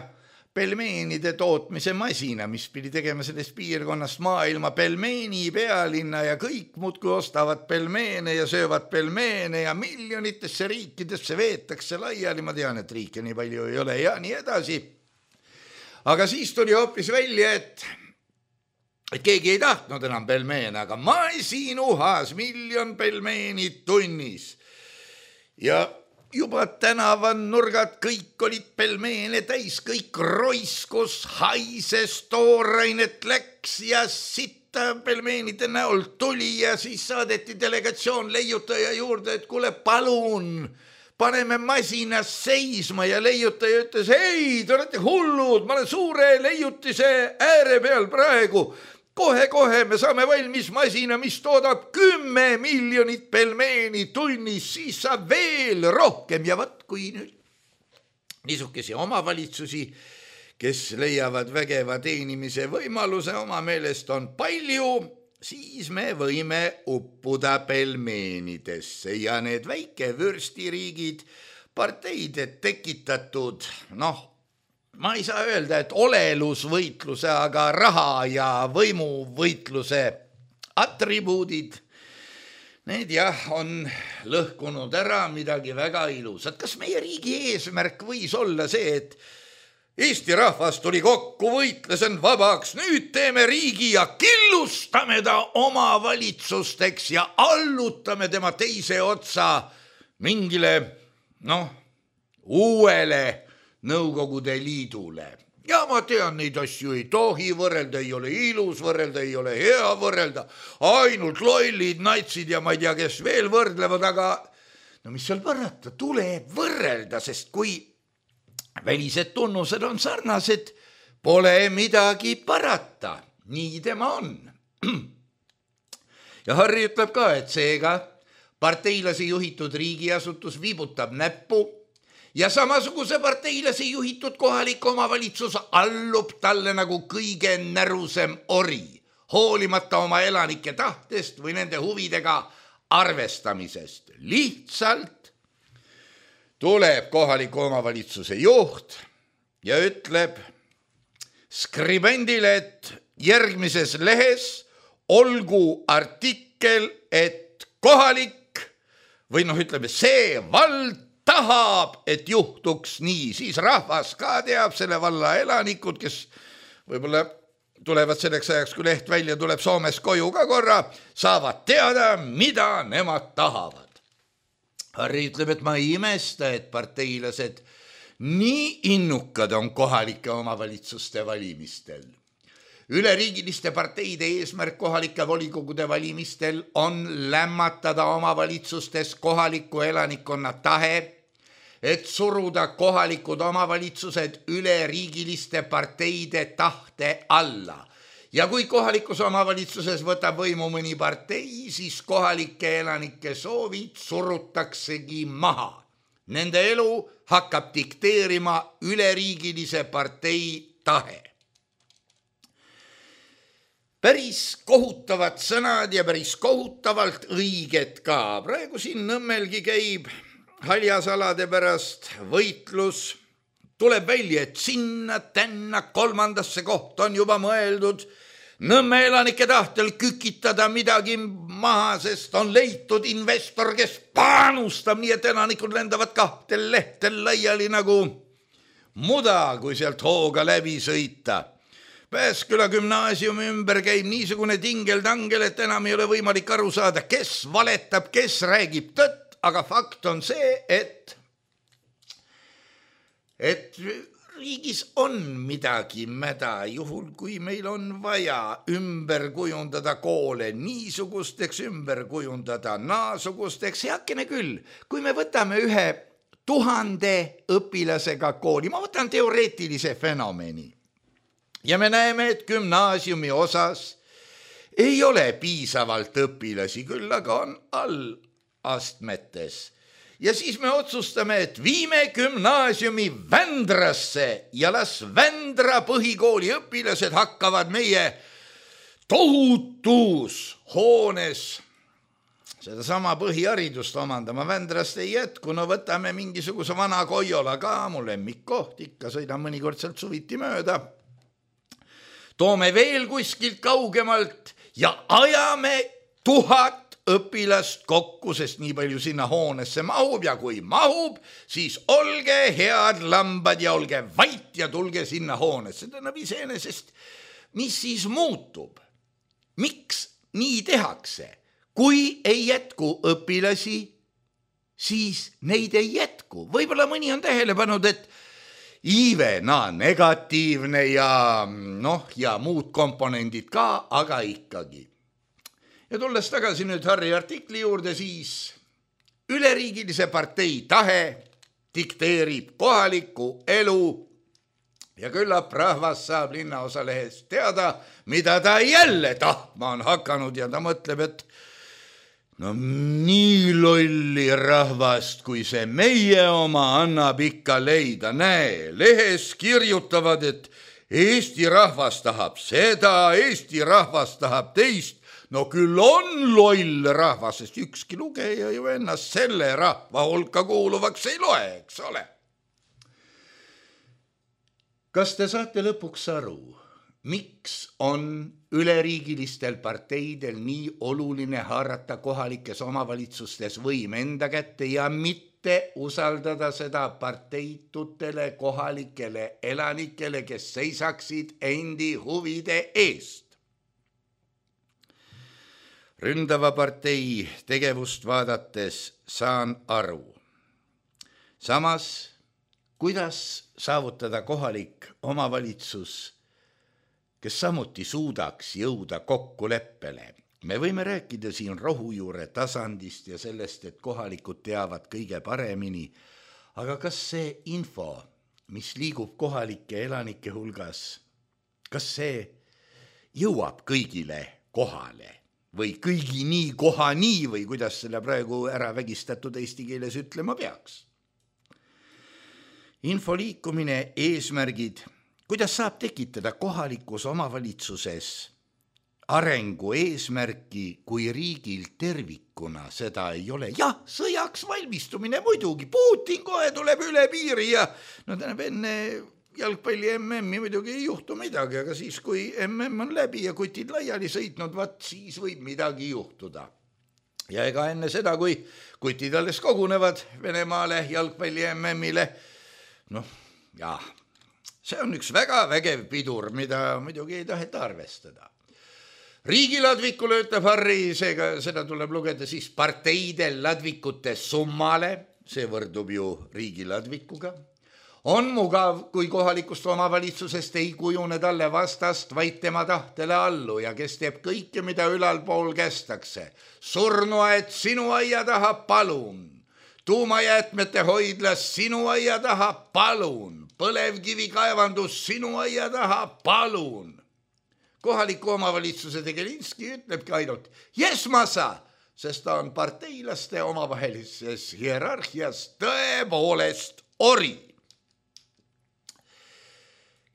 S3: pelmeenide tootmise masina, mis pidi tegema sellest piirkonnast maailma pelmeeni pealinna ja kõik muudkui ostavad pelmeene ja söövad pelmeene ja miljonitesse riikidesse veetakse laiali. Ma tean, et riike nii palju ei ole ja nii edasi. Aga siis tuli hoopis välja, et, et keegi ei tahtnud enam pelmeene, aga masin uhas miljon pelmeenid tunnis. Ja juba tänavan nurgad kõik olid pelmeene täis, kõik roiskus, haises, toorainet läks ja sitta pelmeenide näol tuli ja siis saadeti delegatsioon leiutaja juurde, et kuule, palun, paneme masinas seisma ja leiutaja ütles, ei, te olete hullud, ma olen suure leiutise ääre peal praegu. Kohe-kohe me saame valmis masina, mis toodab kümme miljonit pelmeeni tunnis, siis saab veel rohkem. Ja võt, kui nüüd niisugesi omavalitsusi, kes leiavad vägeva teenimise võimaluse, oma meelest on palju, siis me võime uppuda pelmeenidesse ja need väike vürstiriigid, parteide tekitatud, noh, ma ei saa öelda, et olelusvõitluse, aga raha ja võimuvõitluse atribuudid, need jah, on lõhkunud ära midagi väga ilusat. Kas meie riigi eesmärk võis olla see, et Eesti rahvas tuli kokku, võitles end vabaks, nüüd teeme riigi ja killustame ta omavalitsusteks ja allutame tema teise otsa mingile, noh, uuele Nõukogude Liidule. Ja ma tean, neid asju ei tohi võrrelda, ei ole ilus võrrelda, ei ole hea võrrelda, ainult lollid, natsid ja ma ei tea, kes veel võrdlevad, aga no mis seal parata, tuleb võrrelda, sest kui välised tunnused on sarnased, pole midagi parata, nii tema on. Ja Harri ütleb ka, et seega parteilase juhitud riigiasutus viibutab näppu ja samasuguse parteilase juhitud kohalik omavalitsus allub talle nagu kõige närusem ori, hoolimata oma elanike tahtest või nende huvidega arvestamisest. Lihtsalt tuleb kohaliku omavalitsuse juht ja ütleb skribendile, et järgmises lehes olgu artikkel, et kohalik või noh, ütleme see vald tahab, et juhtuks nii, siis rahvas ka teab, selle valla elanikud, kes võib-olla tulevad selleks ajaks, kui leht välja tuleb Soomes koju ka korra, saavad teada, mida nemad tahavad. Harri ütleb, et ma ei imesta, et parteilased nii innukad on kohalike omavalitsuste valimistel. Üleriigiliste parteide eesmärk kohalike volikogude valimistel on lämmatada omavalitsustes kohaliku elanikkonna tahe, et suruda kohalikud omavalitsused üleriigiliste parteide tahte alla. Ja kui kohalikus omavalitsuses võtab võimu mõni partei, siis kohalike elanike soovid surutaksegi maha. Nende elu hakkab dikteerima üleriigilise partei tahe. Päris kohutavad sõnad ja päris kohutavalt õiged ka. Praegu siin Nõmmelgi käib haljasalade pärast võitlus. Tuleb välja, et sinna tänna kolmandasse kohta on juba mõeldud Nõmme elanike tahtel kükitada midagi maha, sest on leitud investor, kes panustab nii, et elanikud lendavad kahtel lehtel laiali nagu muda, kui sealt hooga läbi sõita. Pääsküla gümnaasiumi ümber käib niisugune tingel-tangel, et enam ei ole võimalik aru saada, kes valetab, kes räägib tõtt, aga fakt on see, et et riigis on midagi mäda, juhul kui meil on vaja ümber kujundada koole niisugusteks, ümber kujundada naasugusteks, heakene küll, kui me võtame ühe tuhande õpilasega kooli, ma võtan teoreetilise fenomeni, ja me näeme, et gümnaasiumi osas ei ole piisavalt õpilasi, küll aga on allastmetes. Ja siis me otsustame, et viime gümnaasiumi Vändrasse ja las Vändra põhikooli õpilased hakkavad meie tohutus hoones sedasama põhiharidust omandama. Vändrast ei jätku, no võtame mingisuguse vana Koiola ka, mul lemmikkoht, ikka sõidan mõnikord sealt suviti mööda. Toome veel kuskilt kaugemalt ja ajame tuhat õpilast kokku, sest nii palju sinna hoonesse mahub ja kui mahub, siis olge head lambad ja olge vait ja tulge sinna hoonesse. Tähendab iseenesest, mis siis muutub? Miks nii tehakse? Kui ei jätku õpilasi, siis neid ei jätku. Võib-olla mõni on tähele pannud, et iive, na, negatiivne ja, noh, ja muud komponendid ka, aga ikkagi. Ja tulles tagasi nüüd Harri artikli juurde, siis üleriigilise partei tahe dikteerib kohaliku elu ja küllap rahvas saab linnaosalehes teada, mida ta jälle tahtma on hakanud ja ta mõtleb, et no nii lolli rahvast, kui see meie oma annab ikka leida. Näe, lehes kirjutavad, et Eesti rahvas tahab seda, Eesti rahvas tahab teist. No küll on loll rahvas, sest ükski lugeja ju ennast selle rahva hulka kuuluvaks ei loe, eks ole. Kas te saate lõpuks aru, miks on üleriigilistel parteidel nii oluline haarata kohalikes omavalitsustes võim enda kätte ja mitte usaldada seda parteitutele kohalikele elanikele, kes seisaksid endi huvide eest? Ründava partei tegevust vaadates saan aru. Samas, kuidas saavutada kohalik omavalitsus, kes samuti suudaks jõuda kokkuleppele? Me võime rääkida siin rohujuure tasandist ja sellest, et kohalikud teavad kõige paremini, aga kas see info, mis liigub kohalike elanike hulgas, kas see jõuab kõigile kohale? Või kõigi nii koha nii või kuidas selle praegu ära vägistatud eesti keeles ütlema peaks. Info liikumine, eesmärgid, kuidas saab tekitada kohalikus omavalitsuses arengu eesmärki, kui riigil tervikuna seda ei ole. Jah, sõjaks valmistumine muidugi, Putin kohe tuleb üle piiri ja no tähendab enne jalgpalli M M-i muidugi ei juhtu midagi, aga siis, kui M M on läbi ja kutid laiali sõitnud, vaat siis võib midagi juhtuda. Ja ega enne seda, kui kutid alles kogunevad Venemaale jalgpalli M M-ile, noh, jah, see on üks väga vägev pidur, mida muidugi ei taheta arvestada. Riigiladvikule ütleb Harri, seega seda tuleb lugeda siis parteidel ladvikute summale, see võrdub ju riigiladvikuga. On mugav, kui kohalikust omavalitsusest ei kujune talle vastast, vaid tema tahtele allu ja kes teeb kõike, mida ülalpool kästakse. Surnuaed sinu aia taha, palun. Tuumajäätmete hoidlas sinu aia taha, palun. Põlevkivi kaevandus sinu aia taha, palun. Kohaliku omavalitsuse Tegelinski ütlebki ainult jesmasa, sest ta on parteilaste omavahelises hierarhias tõepoolest ori.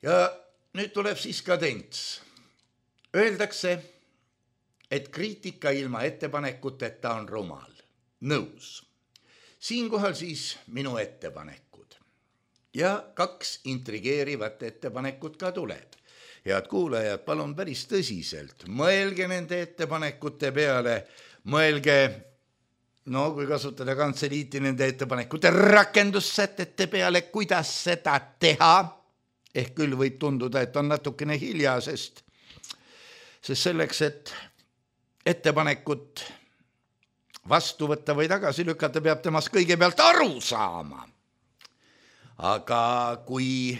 S3: Ja nüüd tuleb siis kadents. Öeldakse, et kriitika ilma ettepanekuteta on rumal. Nõus. Siinkohal siis minu ettepanekud. Ja kaks intrigeerivat ettepanekut ka tuleb. Head kuulajad, palun päris tõsiselt. Mõelge nende ettepanekute peale. Mõelge, no kui kasutada kantseliiti nende ettepanekute rakendussätete peale, kuidas seda teha. Ehk küll võib tunduda, et on natukene hilja, sest, sest selleks, et ettepanekut vastu võtta või tagasi lükata, peab temast kõigepealt aru saama. Aga kui,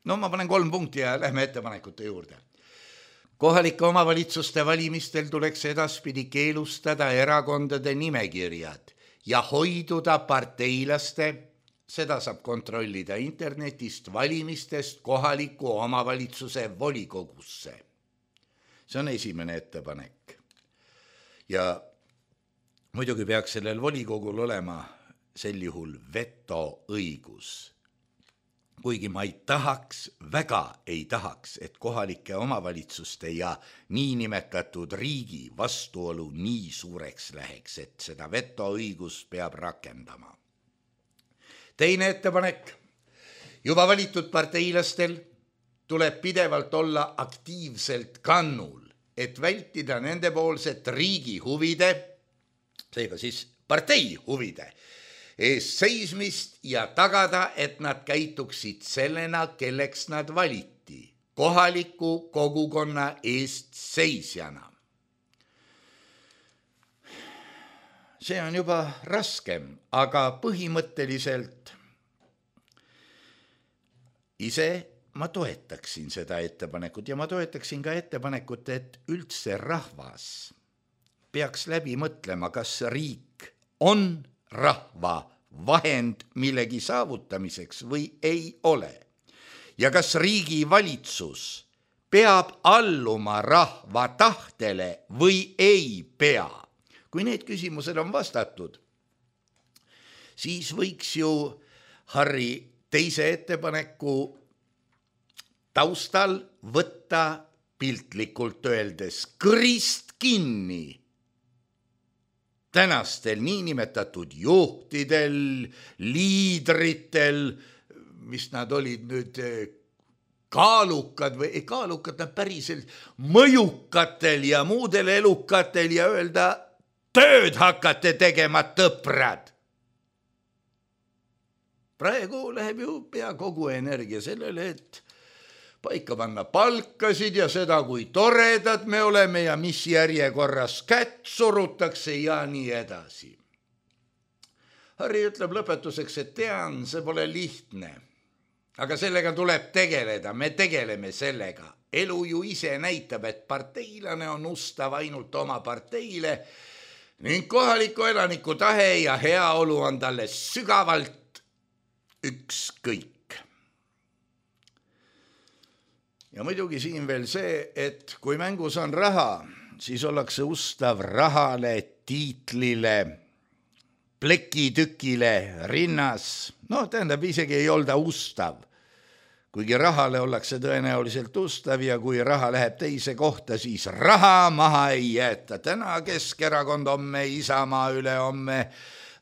S3: no ma panen kolm punkti ja lähme ettepanekute juurde. Kohalike omavalitsuste valimistel tuleks edaspidi keelustada erakondade nimekirjad ja hoiduda parteilaste, seda saab kontrollida internetist valimistest kohaliku omavalitsuse volikogusse. See on esimene ettepanek. Ja muidugi peaks sellel volikogul olema sel juhul vetoõigus. Kuigi ma ei tahaks, väga ei tahaks, et kohalike omavalitsuste ja niinimetatud riigi vastuolu nii suureks läheks, et seda vetoõigust peab rakendama. Teine ettepanek, juba valitud parteilastel tuleb pidevalt olla aktiivselt kannul, et vältida nendepoolset riigi huvide, seega siis partei huvide, eest seismist ja tagada, et nad käituksid sellena, kelleks nad valiti, kohaliku kogukonna eest seisjana. See on juba raskem, aga põhimõtteliselt ise ma toetaksin seda ettepanekut ja ma toetaksin ka ettepanekut, et üldse rahvas peaks läbi mõtlema, kas riik on rahva vahend millegi saavutamiseks või ei ole? Ja kas riigi valitsus peab alluma rahva tahtele või ei pea? Kui need küsimused on vastatud, siis võiks ju Harri teise ettepaneku taustal võtta piltlikult öeldes kõrist kinni tänastel niinimetatud juhtidel, liidritel, mis nad olid nüüd kaalukad või ei kaalukad, nad päriselt mõjukatel ja muudel elukatel ja öelda, tööd hakkate tegema, tõprad. Praegu läheb ju pea kogu energia sellele, et paika panna palkasid ja seda, kui toredad me oleme ja mis järjekorras kätt surutakse ja nii edasi. Harri ütleb lõpetuseks, et tean, see pole lihtne, aga sellega tuleb tegeleda, me tegeleme sellega. Elu ju ise näitab, et parteilane on ustav ainult oma parteile ning kohaliku elaniku tahe ja heaolu on talle sügavalt ükskõik. Ja muidugi siin veel see, et kui mängus on raha, siis ollakse ustav rahale, tiitlile, plekitükile, rinnas. No tähendab, isegi ei olda ustav. Kuigi rahale ollakse tõenäoliselt ustav ja kui raha läheb teise kohta, siis raha maha ei jäeta. Täna Keskerakond, homme Isamaa, üle homme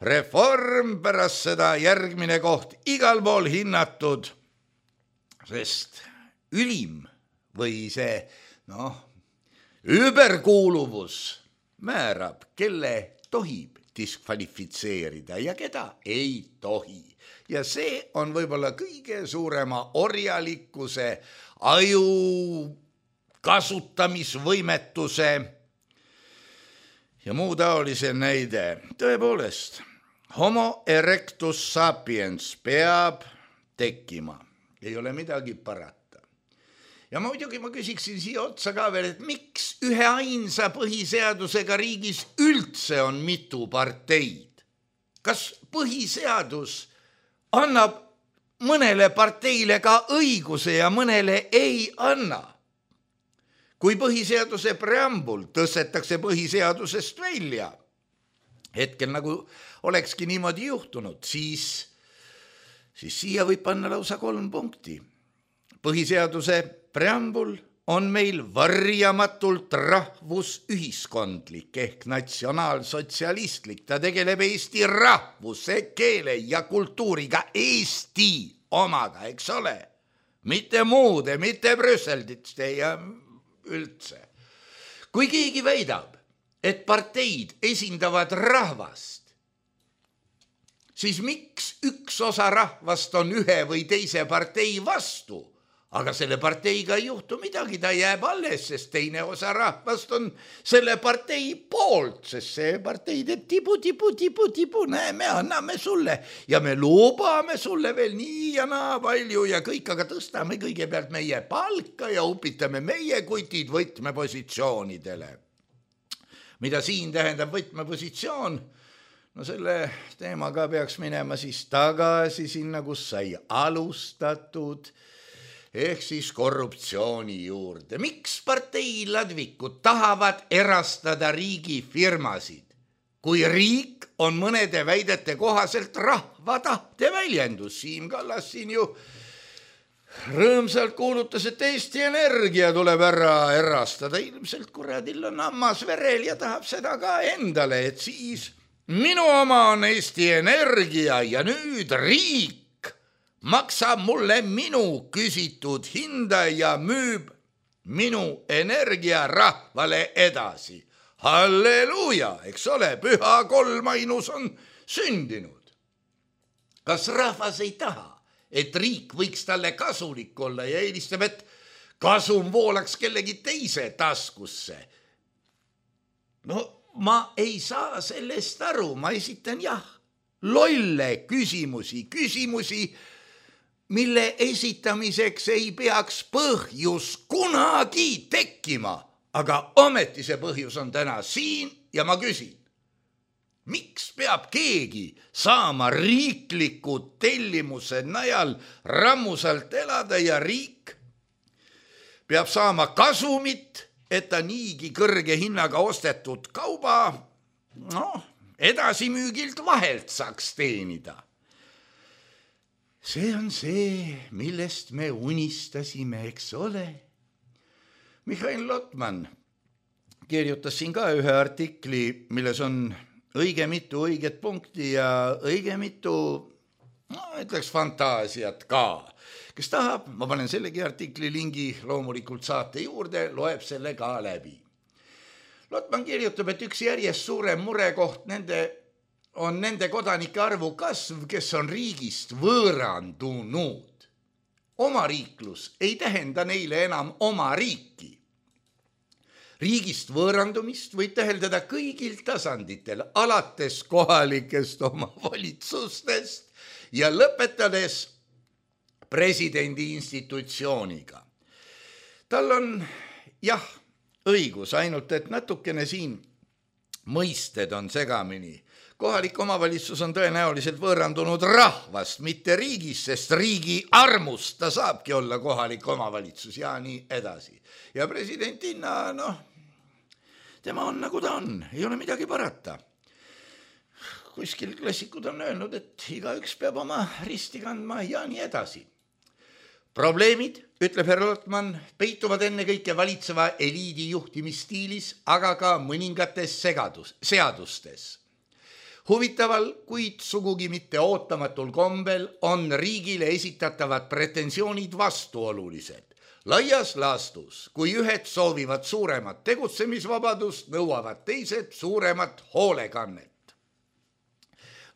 S3: Reform, pärast seda järgmine koht igal pool hinnatud, sest ülim või see, noh, überkuuluvus määrab, kelle tohib diskvalifitseerida ja keda ei tohi. Ja see on võib-olla kõige suurema orjalikkuse, aju kasutamisvõimetuse ja muu taolise näide. Tõepoolest, homo erectus sapiens peab tekkima. Ei ole midagi parata. Ja muidugi ma küsiksin siia otsa ka veel, et miks ühe ainsa põhiseadusega riigis üldse on mitu parteid? Kas põhiseadus annab mõnele parteile ka õiguse ja mõnele ei anna? Kui põhiseaduse preambul tõstetakse põhiseadusest välja, hetkel nagu olekski niimoodi juhtunud, siis, siis siia võib panna lausa kolm punkti. Põhiseaduse preambul on meil varjamatult rahvusühiskondlik ehk natsionaalsotsialistlik. Ta tegeleb Eesti rahvuse, keele ja kultuuriga, Eesti omaga, eks ole? Mitte muude, mitte Brüsselditste ja üldse. Kui keegi väidab, et parteid esindavad rahvast, siis miks üks osa rahvast on ühe või teise partei vastu? Aga selle parteiga ei juhtu midagi, ta jääb alles, sest teine osa rahvast on selle partei poolt, sest see partei teeb tibu, tibu, tibu, tibu, näe, me anname sulle ja me lubame sulle veel nii ja naa palju ja kõik, aga tõstame kõigepealt meie palka ja upitame meie kutid võtmepositsioonidele. Mida siin tähendab võtmepositsioon? No selle teemaga peaks minema siis tagasi sinna, kus sai alustatud, ehk siis korruptsiooni juurde. Miks parteiladvikud tahavad erastada riigifirmasid, kui riik on mõnede väidete kohaselt rahva tahte väljendus? Siim Kallas siin ju rõõmsalt kuulutas, et Eesti Energia tuleb ära erastada. Ilmselt kuradil on ammas verel ja tahab seda ka endale, et siis minu oma on Eesti Energia ja nüüd riik maksab mulle minu küsitud hinda ja müüb minu energia rahvale edasi. Halleluuja, eks ole, püha kolmainus on sündinud. Kas rahvas ei taha, et riik võiks talle kasulik olla ja eelistab, et kasum voolaks kellegi teise taskusse? No ma ei saa sellest aru, ma esitan jah, lolle küsimusi, küsimusi, mille esitamiseks ei peaks põhjus kunagi tekkima, aga ometi see põhjus on täna siin ja ma küsin, Miks peab keegi saama riikliku tellimuse najal rammusalt elada ja riik peab saama kasumit, et ta niigi kõrge hinnaga ostetud kauba noh, edasimüügilt vahelt saaks teenida. See on see, millest me unistasime, eks ole. Mihhail Lotman kirjutas siin ka ühe artikli, milles on õige mitu õiget punkti ja õige mitu, no ütleks fantaasiat ka. Kes tahab, ma panen sellegi artikli lingi loomulikult saate juurde, loeb selle ka läbi. Lotman kirjutab, et üks järjest suurem murekoht nende, on nende kodanike arvu kasv, kes on riigist võõrandunud. Omariiklus ei tähenda neile enam oma riiki. Riigist võõrandumist võib täheldada kõigil tasanditel, alates kohalikest omavalitsustest ja lõpetades presidendi institutsiooniga. Tal on, jah, õigus, ainult et natukene siin mõisted on segamini. Kohalik omavalitsus on tõenäoliselt võõrandunud rahvast, mitte riigis, sest riigi armust ta saabki olla kohalik omavalitsus ja nii edasi. Ja presidentina, noh, tema on nagu ta on, ei ole midagi parata. Kuskil klassikud on öelnud, et igaüks peab oma risti kandma ja nii edasi. Probleemid, ütleb härra Lotman, peituvad enne kõike valitseva eliidi juhtimisstiilis, aga ka mõningates segadus, seadustes. Huvitaval, kuid sugugi mitte ootamatul kombel on riigile esitatavad pretensioonid vastuolulised. Laias laastus, kui ühed soovivad suuremat tegutsemisvabadust, nõuavad teised suuremat hoolekannet.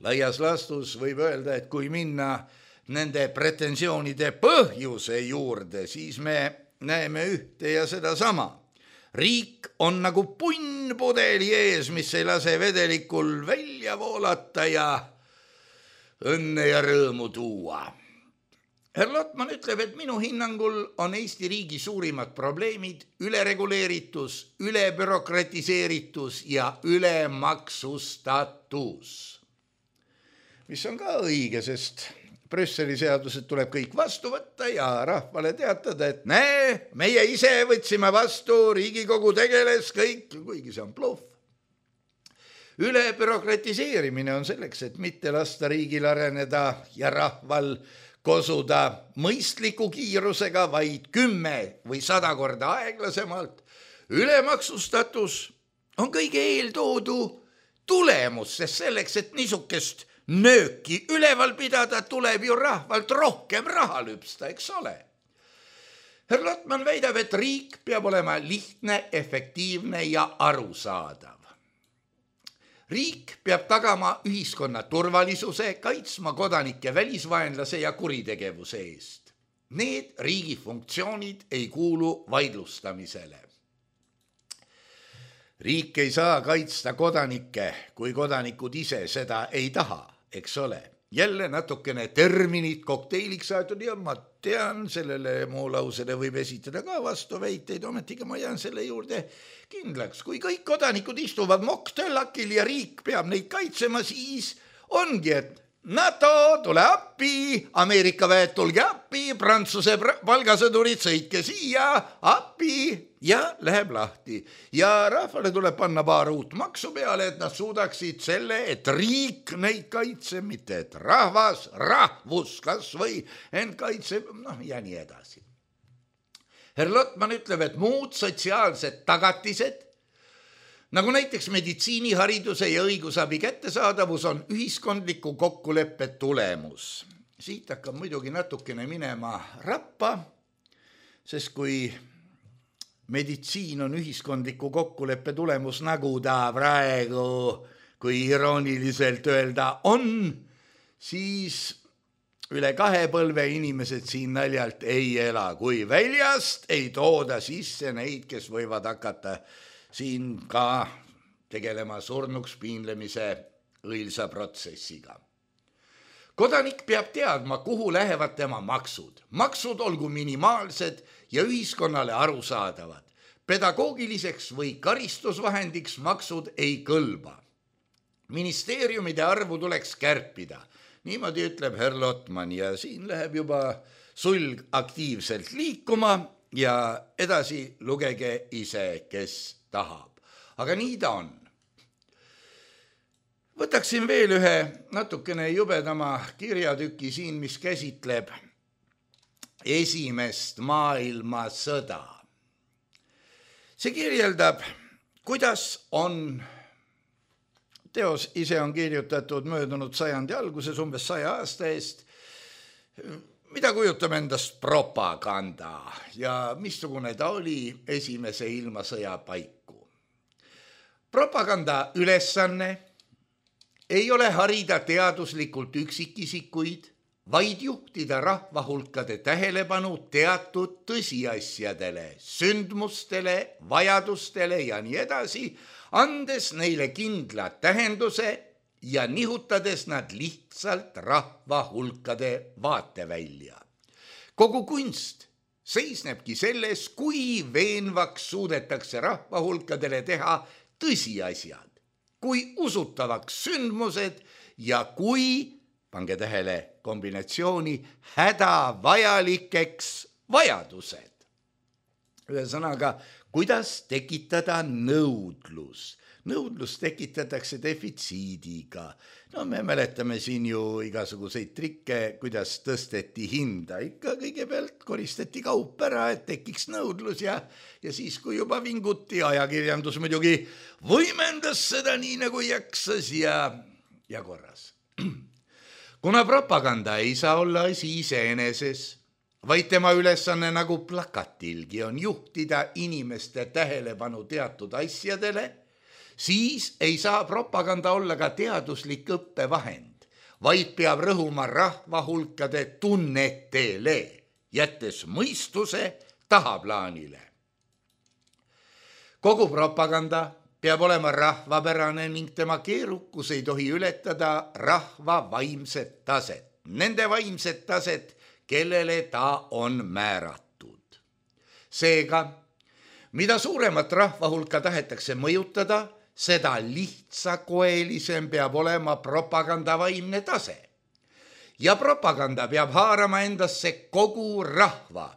S3: Laias laastus võib öelda, et kui minna nende pretensioonide põhjuse juurde, siis me näeme ühte ja seda sama. Riik on nagu punn pudeli ees, mis ei lase vedelikul välja voolata ja õnne ja rõõmu tuua. Herr Lotman ütleb, et minu hinnangul on Eesti riigi suurimad probleemid ülereguleeritus, ülebürokratiseeritus ja ülemaksustatus. Mis on ka õige, sest Brüsseli seadused tuleb kõik vastu võtta ja rahvale teatada, et näe, meie ise võtsime vastu, Riigikogu tegeles kõik, kuigi see on bluff. Ülebürokratiseerimine on selleks, et mitte lasta riigil areneda ja rahval kosuda mõistliku kiirusega, vaid kümme või sada korda aeglasemalt. Ülemaksustatus on kõige eeltoodu tulemus, sest selleks, et niisugust nööki üleval pidada, tuleb ju rahvalt rohkem raha lüpsta, eks ole. Herr Lotman väidab, et riik peab olema lihtne, efektiivne ja arusaadav. Riik peab tagama ühiskonna turvalisuse, kaitsma kodanike välisvaenlase ja kuritegevuse eest. Need riigi funktsioonid ei kuulu vaidlustamisele. Riik ei saa kaitsta kodanikke, kui kodanikud ise seda ei taha, eks ole. Jälle natukene terminid kokteiliks aetud ja ma tean, sellele muu lausele võib esitada ka vastuväiteid, ometigi ma jään selle juurde kindlaks. Kui kõik kodanikud istuvad mokktöllakil ja riik peab neid kaitsema, siis ongi, et NATO, tule appi, Ameerika väed, tulge appi, Prantsuse palgasõdurid, sõitke siia, appi ja läheb lahti. Ja rahvale tuleb panna paar uut maksu peale, et nad suudaksid selle, et riik neid kaitseb, mitte et rahvas, rahvus kas või end kaitseb, noh ja nii edasi. Herr Lotman ütleb, et muud sotsiaalsed tagatised, nagu näiteks meditsiinihariduse ja õigusabi kättesaadavus on ühiskondliku kokkuleppe tulemus. Siit hakkab muidugi natukene minema rappa, sest kui meditsiin on ühiskondliku kokkuleppe tulemus, nagu ta praegu, kui irooniliselt öelda on, siis üle kahe põlve inimesed siin naljalt ei ela, kui väljast ei tooda sisse neid, kes võivad hakata siin ka tegelema surnuks piinlemise õilsa protsessiga. Kodanik peab teadma, kuhu lähevad tema maksud. Maksud olgu minimaalsed ja ühiskonnale arusaadavad. Pedagoogiliseks või karistusvahendiks maksud ei kõlba. ministeeriumide arvu tuleks kärpida. Niimoodi ütleb herr Lotman ja siin läheb juba sulg aktiivselt liikuma ja edasi lugege ise, kes tahab. Aga nii ta on. Võtaksin veel ühe natukene jubedama kirjatüki siin, mis käsitleb esimest maailmasõda. See kirjeldab, kuidas on, teos ise on kirjutatud möödunud sajandi alguses umbes saja aasta eest, mida kujutab endast propaganda ja missugune ta oli esimese ilmasõja paiku. Propaganda ülesanne ei ole harida teaduslikult üksikisikuid, vaid juhtida rahvahulkade tähelepanu teatud tõsiasjadele, sündmustele, vajadustele ja nii edasi, andes neile kindla tähenduse ja nihutades nad lihtsalt rahvahulkade vaatevälja. Kogu kunst seisnebki selles, kui veenvaks suudetakse rahvahulkadele teha tõsiasjad, kui usutavaks sündmused ja kui, pange tähele kombinatsiooni, hädavajalikeks vajadused. Ühesõnaga, kuidas tekitada nõudlus? Nõudlus tekitatakse defitsiidiga. No me mäletame siin ju igasuguseid trikke, kuidas tõsteti hinda. Ikka kõigepealt koristati kaup ära, et tekiks nõudlus ja, ja siis, kui juba vinguti, ajakirjandus muidugi võimendas seda nii nagu jaksas ja, ja korras. Kuna propaganda ei saa olla asi iseeneses, vaid tema ülesanne nagu plakatilgi on juhtida inimeste tähelepanu teatud asjadele, siis ei saa propaganda olla ka teaduslik õppevahend, vaid peab rõhuma rahvahulkade tunnetele, jättes mõistuse tahaplaanile. Kogu propaganda peab olema rahvapärane ning tema keerukus ei tohi ületada rahva vaimset taset, nende vaimset taset, kellele ta on määratud. Seega, mida suuremat rahvahulka tahetakse mõjutada, seda lihtsakoelisem peab olema propaganda vaimne tase. Ja propaganda peab haarama endasse kogu rahva,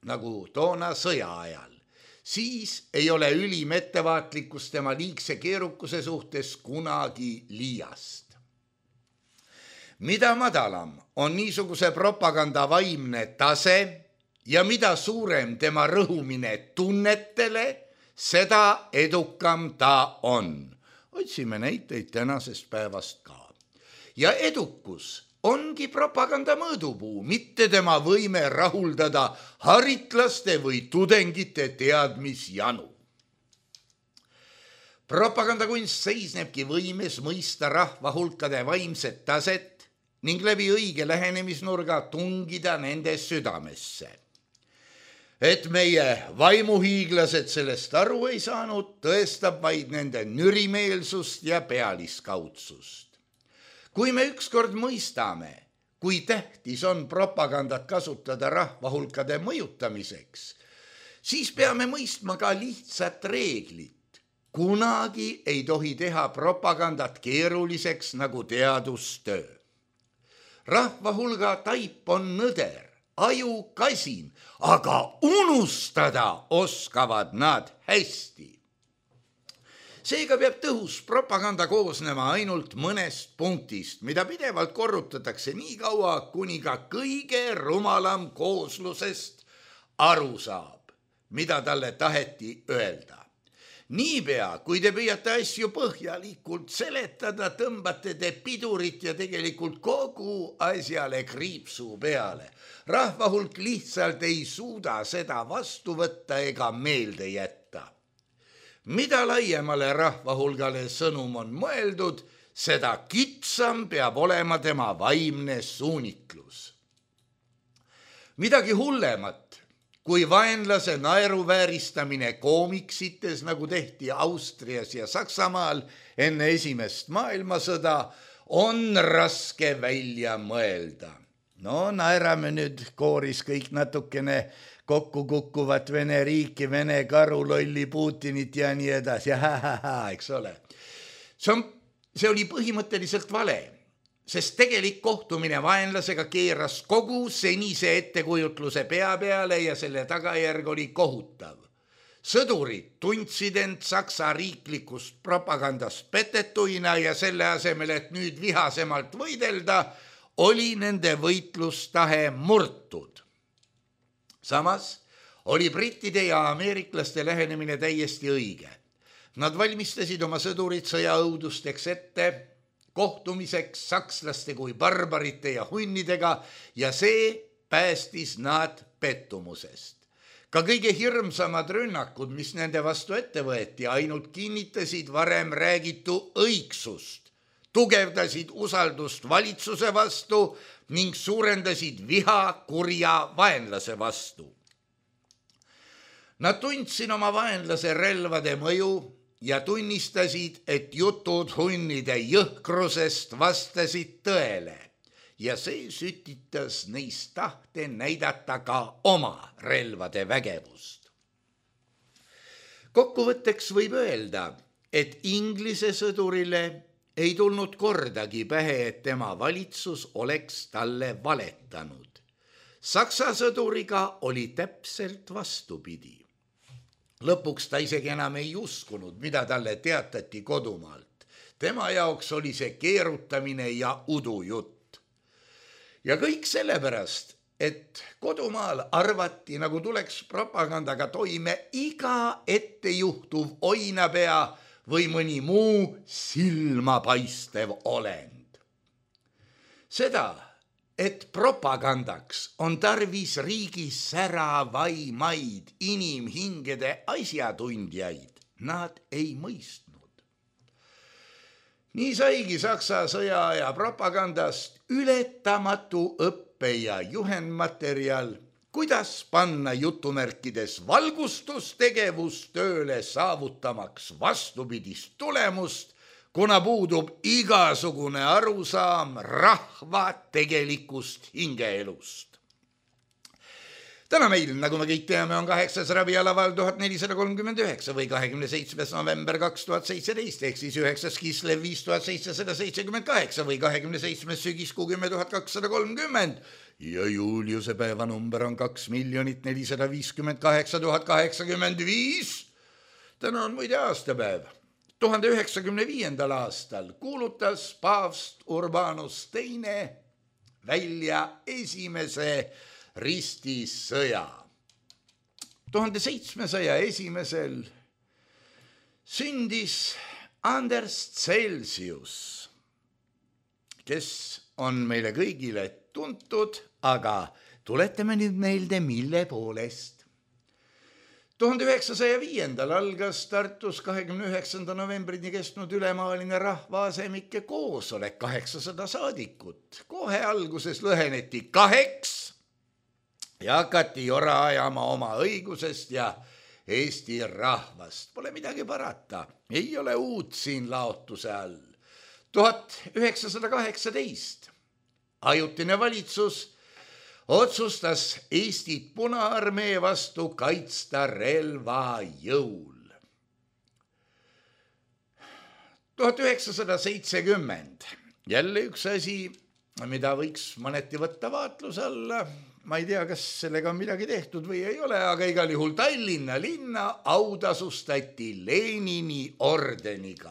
S3: nagu toona sõja ajal. Siis ei ole ülim ettevaatlikkus tema liigse keerukuse suhtes kunagi liiast. Mida madalam on niisuguse propaganda vaimne tase ja mida suurem tema rõhumine tunnetele, seda edukam ta on. Otsime näiteid tänasest päevast ka. Ja edukus ongi propaganda mõõdupuu, mitte tema võime rahuldada haritlaste või tudengite teadmisjanu. Propagandakunst seisnebki võimes mõista rahvahulkade vaimset taset ning läbi õige lähenemisnurga tungida nende südamesse. Et meie vaimuhiiglased sellest aru ei saanud, tõestab vaid nende nürimeelsust ja pealiskaudsust. Kui me ükskord mõistame, kui tähtis on propagandat kasutada rahvahulkade mõjutamiseks, siis peame mõistma ka lihtsat reeglit. Kunagi ei tohi teha propagandat keeruliseks nagu teadustöö. Rahvahulga taip on nõder, aju kasin, aga unustada oskavad nad hästi. Seega peab tõhus propaganda koosnema ainult mõnest punktist, mida pidevalt korrutatakse nii kaua, kuni ka kõige rumalam kooslusest aru saab, mida talle taheti öelda. Niipea, kui te püüate asju põhjalikult seletada, tõmbate te pidurit ja tegelikult kogu asjale kriipsu peale. Rahvahulk lihtsalt ei suuda seda vastu võtta ega meelde jätta. Mida laiemale rahvahulgale sõnum on mõeldud, seda kitsam peab olema tema vaimne suunitlus. Midagi hullemat kui vaenlase naeruvääristamine koomiksites, nagu tehti Austrias ja Saksamaal enne esimest maailmasõda, on raske välja mõelda. No naerame nüüd kooris kõik natukene kokku kukkuvat Vene riiki, Vene karulolli Putinit ja nii edasi, eks ole. See on see oli põhimõtteliselt vale, sest tegelik kohtumine vaenlasega keeras kogu senise ettekujutluse pea peale ja selle tagajärg oli kohutav. Sõdurid tundsid end Saksa riiklikust propagandast petetuina ja selle asemel, et nüüd vihasemalt võidelda, oli nende võitlustahe murtud. Samas oli brittide ja ameeriklaste lähenemine täiesti õige. Nad valmistasid oma sõdurid sõjaõudusteks ette, kohtumiseks sakslaste kui barbarite ja hunnidega ja see päästis nad pettumusest. Ka kõige hirmsamad rünnakud, mis nende vastu ette võeti, ainult kinnitasid varem räägitu õigsust, tugevdasid usaldust valitsuse vastu ning suurendasid viha kurja vaenlase vastu. Nad tundsid oma vaenlase relvade mõju ja tunnistasid, et jutud hunnide jõhkrusest vastasid tõele ja see sütitas neist tahte näidata ka oma relvade vägevust. Kokkuvõtteks võib öelda, et Inglise sõdurile ei tulnud kordagi pähe, et tema valitsus oleks talle valetanud. Saksa sõduriga oli täpselt vastupidi. Lõpuks ta isegi enam ei uskunud, mida talle teatati kodumaalt. Tema jaoks oli see keerutamine ja udujutt. Ja kõik sellepärast, et kodumaal arvati, nagu tuleks propagandaga toime iga ettejuhtuv oinapea või mõni muu silmapaistev olend. Seda, et propagandaks on tarvis riigis säravaimaid inimhingede asjatundjaid, nad ei mõistnud. Nii saigi Saksa sõjaaja propagandast ületamatu õppe ja juhendmaterjal, kuidas panna jutumärkides valgustustegevus tööle saavutamaks vastupidist tulemust, kuna puudub igasugune arusaam rahva tegelikust hingeelust. Täna meil, nagu me kõik teame, on kaheksas rabialaval tuhat nelisada kolmkümmend üheksa või kahekümne seitsmes november kaks tuhat seitseteist, ehk siis üheksas Kislev viis tuhat seitsesada seitsekümmend kaheksa või kahekümne seitsmes sügiskuu kümme tuhat kakssada kolmkümmend ja Juliuse päevanumber on kaks miljonit nelisada viiskümmend kaheksa tuhat kaheksakümmend viis. Täna on muide aastapäev. tuhande üheksakümne viiendal aastal kuulutas paavst Urbanus teine välja esimese ristisõja. tuhande seitsmesaja esimesel sündis Anders Celsius, kes on meile kõigile tuntud, aga tuletame nüüd meelde, mille poolest. tuhande üheksasaja viiendal algas Tartus kahekümne üheksanda novembrini kestnud ülemaaline rahvaasemike koosolek, kaheksasada saadikut. Kohe alguses lõheneti kaheks ja hakati jora ajama oma õigusest ja Eesti rahvast. Pole midagi parata, ei ole uut siin laotuse all. tuhat üheksasada kaheksateist ajutine valitsus otsustas Eestit Punaarmee vastu kaitsta relva jõul. tuhat üheksasada seitsekümmend jälle üks asi, mida võiks mõneti võtta vaatluse alla. Ma ei tea, kas sellega on midagi tehtud või ei ole, aga igal juhul Tallinna linna autasustati Lenini ordeniga.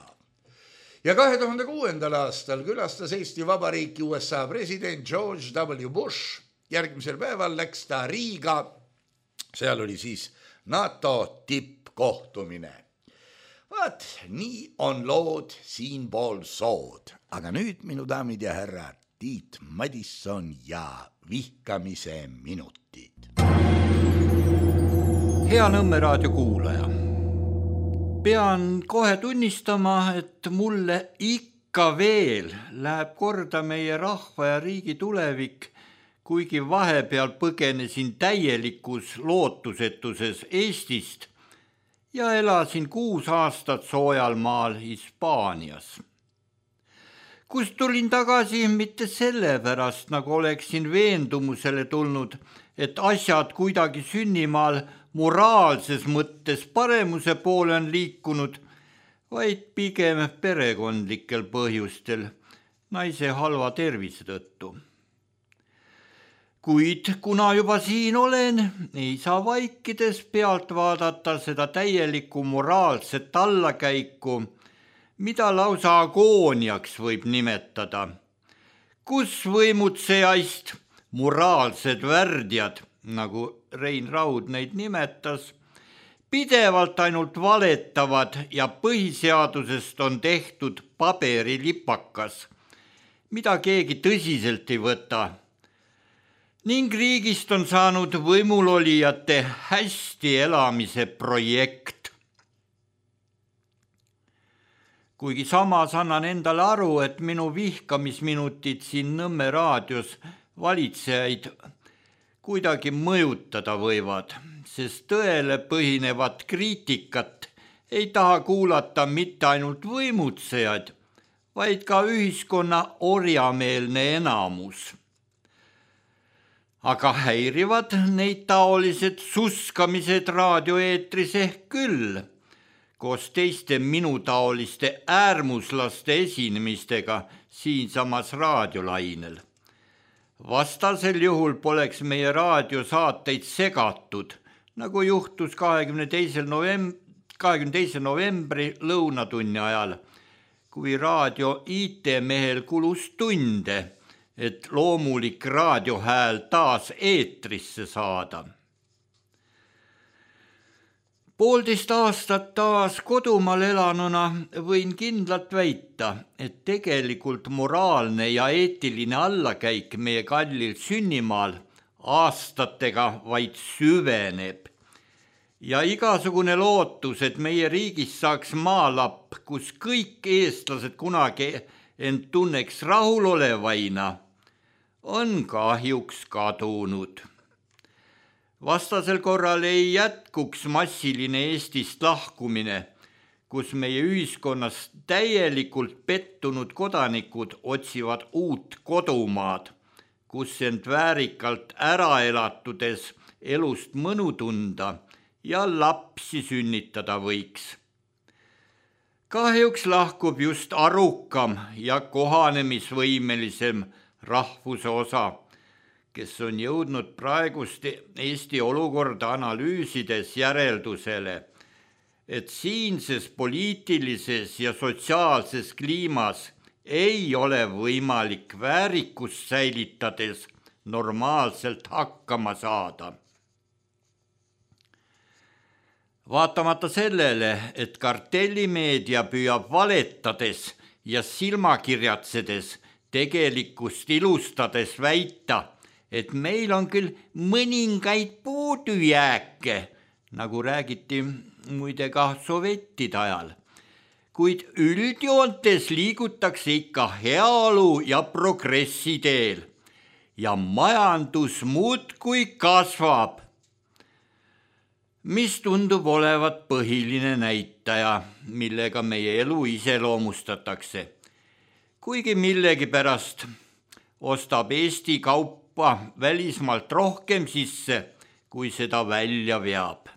S3: Ja kahe tuhande kuuendal aastal külastas Eesti Vabariiki U S A president George W. Bush. Järgmisel päeval läks ta Riiga, seal oli siis NATO tippkohtumine. Vaat, nii on lood siinpool sood. Aga nüüd, minu daamid ja härrad, Tiit Madisson ja vihkamise minutid.
S1: Hea Nõmme raadio kuulaja. Pean kohe tunnistama, et mulle ikka veel läheb korda meie rahva ja riigi tulevik, kuigi vahepeal põgenesin täielikus lootusetuses Eestist ja elasin kuus aastat soojal maal Hispaanias. Kust tulin tagasi mitte sellepärast, nagu oleksin veendumusele tulnud, et asjad kuidagi sünnimaal moraalses mõttes paremuse poole on liikunud,
S4: vaid pigem perekondlikel põhjustel, naise halva tervise tõttu. Kuid kuna juba siin olen, ei saa vaikides pealt vaadata seda täielikku moraalset allakäiku, mida lausa agooniaks võib nimetada, kus võimutsejaist moraalsed värdjad, nagu Rein Raud neid nimetas, pidevalt ainult valetavad ja põhiseadusest on tehtud paberilipakas, mida keegi tõsiselt ei võta. Ning riigist on saanud võimulolijate hästi elamise projekt. Kuigi samas annan endale aru, et minu vihkamisminutid siin Nõmme raadios valitsejaid kuidagi mõjutada võivad, sest tõele põhinevat kriitikat ei taha kuulata mitte ainult võimutsejad, vaid ka ühiskonna orjameelne enamus. Aga häirivad neid taolised suskamised raadioeetris ehk küll, koos teiste minutaoliste äärmuslaste esinemistega siinsamas raadiolainel. Vastasel juhul poleks meie raadiosaateid segatud, nagu juhtus kahekümne teise novembri lõunatunni ajal, kui raadio I T-mehel kulus tunde, et loomulik raadiohääl taas eetrisse saada. Poolteist aastat taas kodumaal elanuna võin kindlalt väita, et tegelikult moraalne ja eetiline allakäik meie kallil sünnimaal aastatega vaid süveneb. Ja igasugune lootus, et meie riigis saaks maalapp, kus kõik eestlased kunagi end tunneks rahulolevaina, on kahjuks kadunud. Vastasel korral ei jätkuks massiline Eestist lahkumine, kus meie ühiskonnas täielikult pettunud kodanikud otsivad uut kodumaad, kus end väärikalt ära elatudes elust mõnu tunda ja lapsi sünnitada võiks. Kahjuks lahkub just arukam ja kohanemisvõimelisem rahvuse osa, kes on jõudnud praegust Eesti olukorda analüüsides järeldusele, et siinses poliitilises ja sotsiaalses kliimas ei ole võimalik väärikust säilitades normaalselt hakkama saada. Vaatamata sellele, et kartellimeedia püüab valetades ja silmakirjatsedes tegelikkust ilustades väita, et meil on küll mõningaid puudujääke, nagu räägiti muide ka sovettide ajal, kuid üldjoontes liigutakse ikka heaolu ja progressi teel ja majandus muudkui kasvab, mis tundub olevat põhiline näitaja, millega meie elu iseloomustatakse. Kuigi millegipärast ostab Eesti kaupa välismaalt rohkem sisse, kui seda välja veab.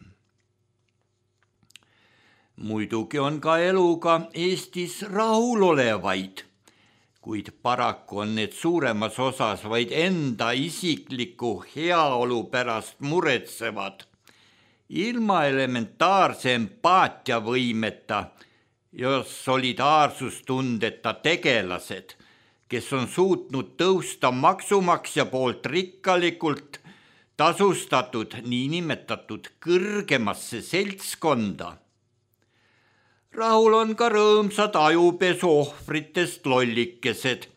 S4: Muidugi on ka eluga Eestis rahulolevaid, kuid paraku on need suuremas osas vaid enda isikliku heaolu pärast muretsevad, ilma elementaarse empaatiavõimeta ja solidaarsustundeta tegelased, kes on suutnud tõusta maksumaksja poolt rikkalikult tasustatud niinimetatud kõrgemasse seltskonda. Rahul on ka rõõmsad ajupesu ohvritest lollikesed,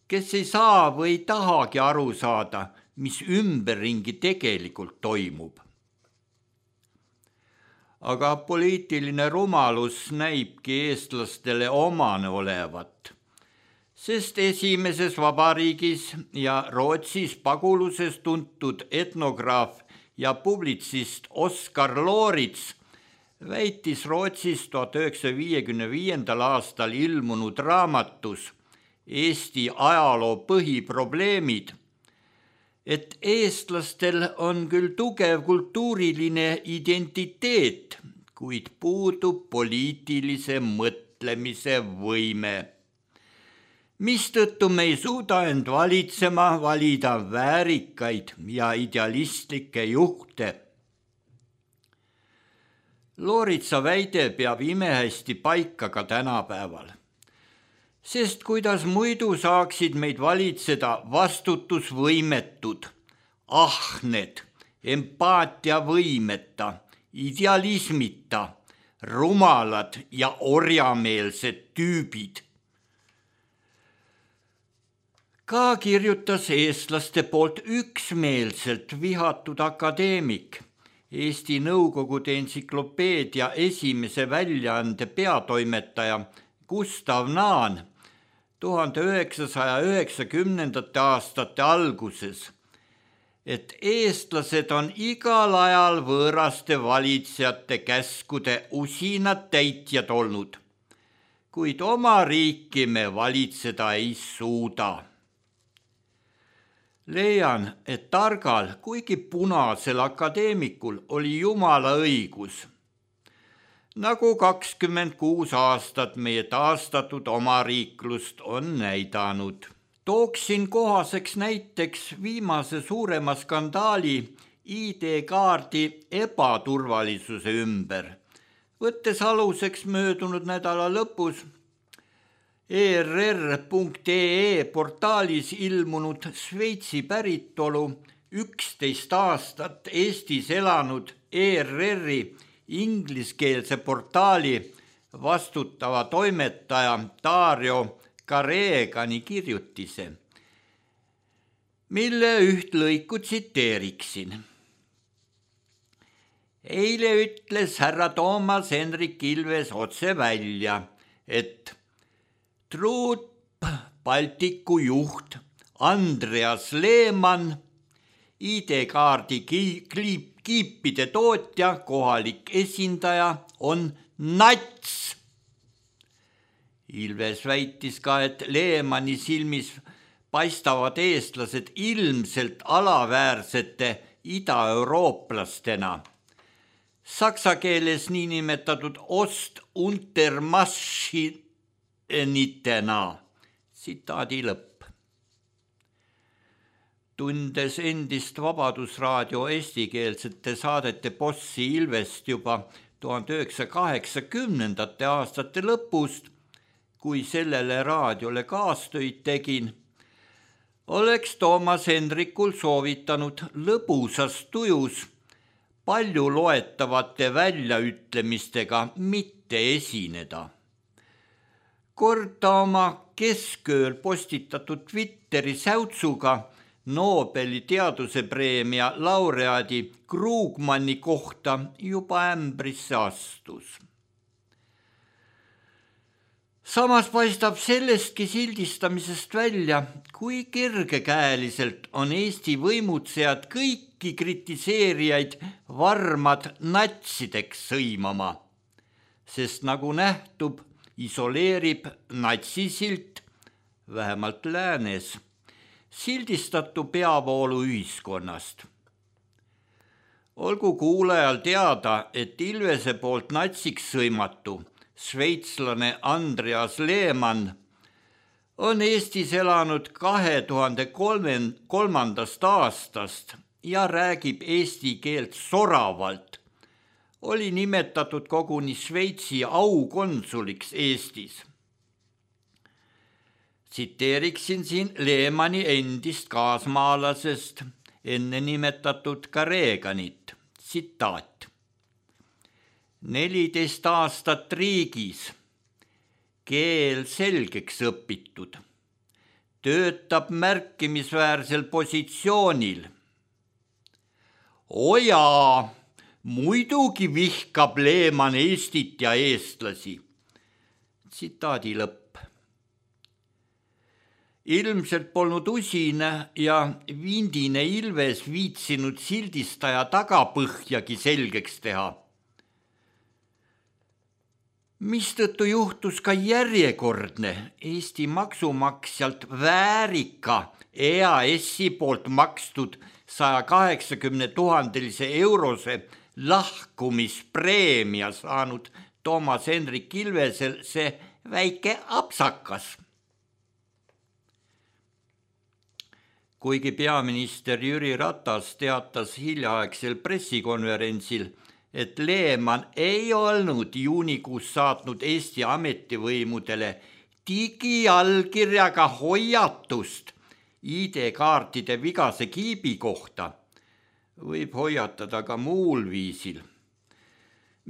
S4: kes ei saa või tahagi aru saada, mis ümberringi tegelikult toimub. Aga poliitiline rumalus näibki eestlastele omane olevat, sest esimeses vabariigis ja Rootsis paguluses tuntud etnograaf ja publitsist Oskar Loorits väitis Rootsis tuhat üheksasaja viiekümne viiendal aastal ilmunud raamatus Eesti ajaloo põhiprobleemid, et eestlastel on küll tugev kultuuriline identiteet, kuid puudub poliitilise mõtlemise võime. Mistõttu me ei suuda end valitsema valida väärikaid ja idealistlikke juhte. Looritsa väide peab imehästi paika ka tänapäeval. Sest kuidas muidu saaksid meid valitseda vastutusvõimetud, ahned, empaatiavõimeta, idealismita, rumalad ja orjameelsed tüübid. Ka kirjutas eestlaste poolt üksmeelselt vihatud akadeemik, Eesti Nõukogude entsüklopeedia esimese väljaande peatoimetaja Gustav Naan tuhande üheksasaja üheksakümnendate aastate alguses, et eestlased on igal ajal võõraste valitsejate käskude usinad täitjad olnud, kuid oma riiki me valitseda ei suuda. Leian, et targal, kuigi punasel akadeemikul oli jumala õigus. Nagu kakskümmend kuus aastat meie taastatud omariiklust on näidanud. Tooksin kohaseks näiteks viimase suurema skandaali I D-kaardi ebaturvalisuse ümber, võttes aluseks möödunud nädala lõpus E R R punkt E E portaalis ilmunud Šveitsi päritolu üksteist aastat Eestis elanud E R R-i ingliskeelse portaali vastutava toimetaja Dario Karegani kirjutise, mille üht lõiku tsiteeriksin. Eile ütles härra Toomas Hendrik Ilves otse välja, et Truup Baltiku juht Andreas Leemann, I D-kaardi kiipide tootja, kohalik esindaja on nats. Ilves väitis ka, et Leemanni silmis paistavad eestlased ilmselt alaväärsete ida-eurooplastena. Saksa keeles niinimetatud Ost- untermaschinitena. Tsitaadi lõpp. Tundes endist Vabadusraadio eestikeelsete saadete bossi Ilvest juba tuhande üheksasaja kaheksakümnendate aastate lõpust, kui sellele raadiole kaastöid tegin, oleks Toomas Hendrikul soovitanud lõbusas tujus palju loetavate väljaütlemistega mitte esineda. Kord ta oma keskööl postitatud Twitteri säutsuga Nobeli teadusepreemia laureaadi Krugmani kohta juba ämbrisse astus. Samas paistab sellestki sildistamisest välja, kui kergekäeliselt on Eesti võimutsejad kõiki kritiseerijaid varmad natsideks sõimama, sest nagu nähtub, isoleerib natsisilt, vähemalt läänes, sildistatu peavoolu ühiskonnast. Olgu kuulajal teada, et Ilvese poolt natsiks sõimatu, šveitslane Andreas Leemann, on Eestis elanud kahe tuhande kolmandast aastast ja räägib eesti keelt soravalt. Oli nimetatud koguni Šveitsi aukonsuliks Eestis. Tsiteeriksin siin Leemanni endist kaasmaalasest enne nimetatud Kareganit. Tsitaat. neliteist aastat riigis, keel selgeks õpitud, töötab märkimisväärsel positsioonil. Ojaa! Muidugi vihkab Leemann Eestit ja eestlasi. Tsitaadi lõpp. Ilmselt polnud usine ja vindine Ilves viitsinud sildistaja tagapõhjagi selgeks teha. Mistõttu juhtus ka järjekordne Eesti maksumaksjalt väärika E A S-i poolt makstud saja kaheksakümne tuhandelise eurose lahkumispreemia saanud Toomas Hendrik Ilvesel see väike apsakas. Kuigi peaminister Jüri Ratas teatas hiljaaegsel pressikonverentsil, et Leemann ei olnud juunikuus saatnud Eesti ametivõimudele digiallkirjaga hoiatust I D-kaartide vigase kiibi kohta, võib hoiatada ka muul viisil,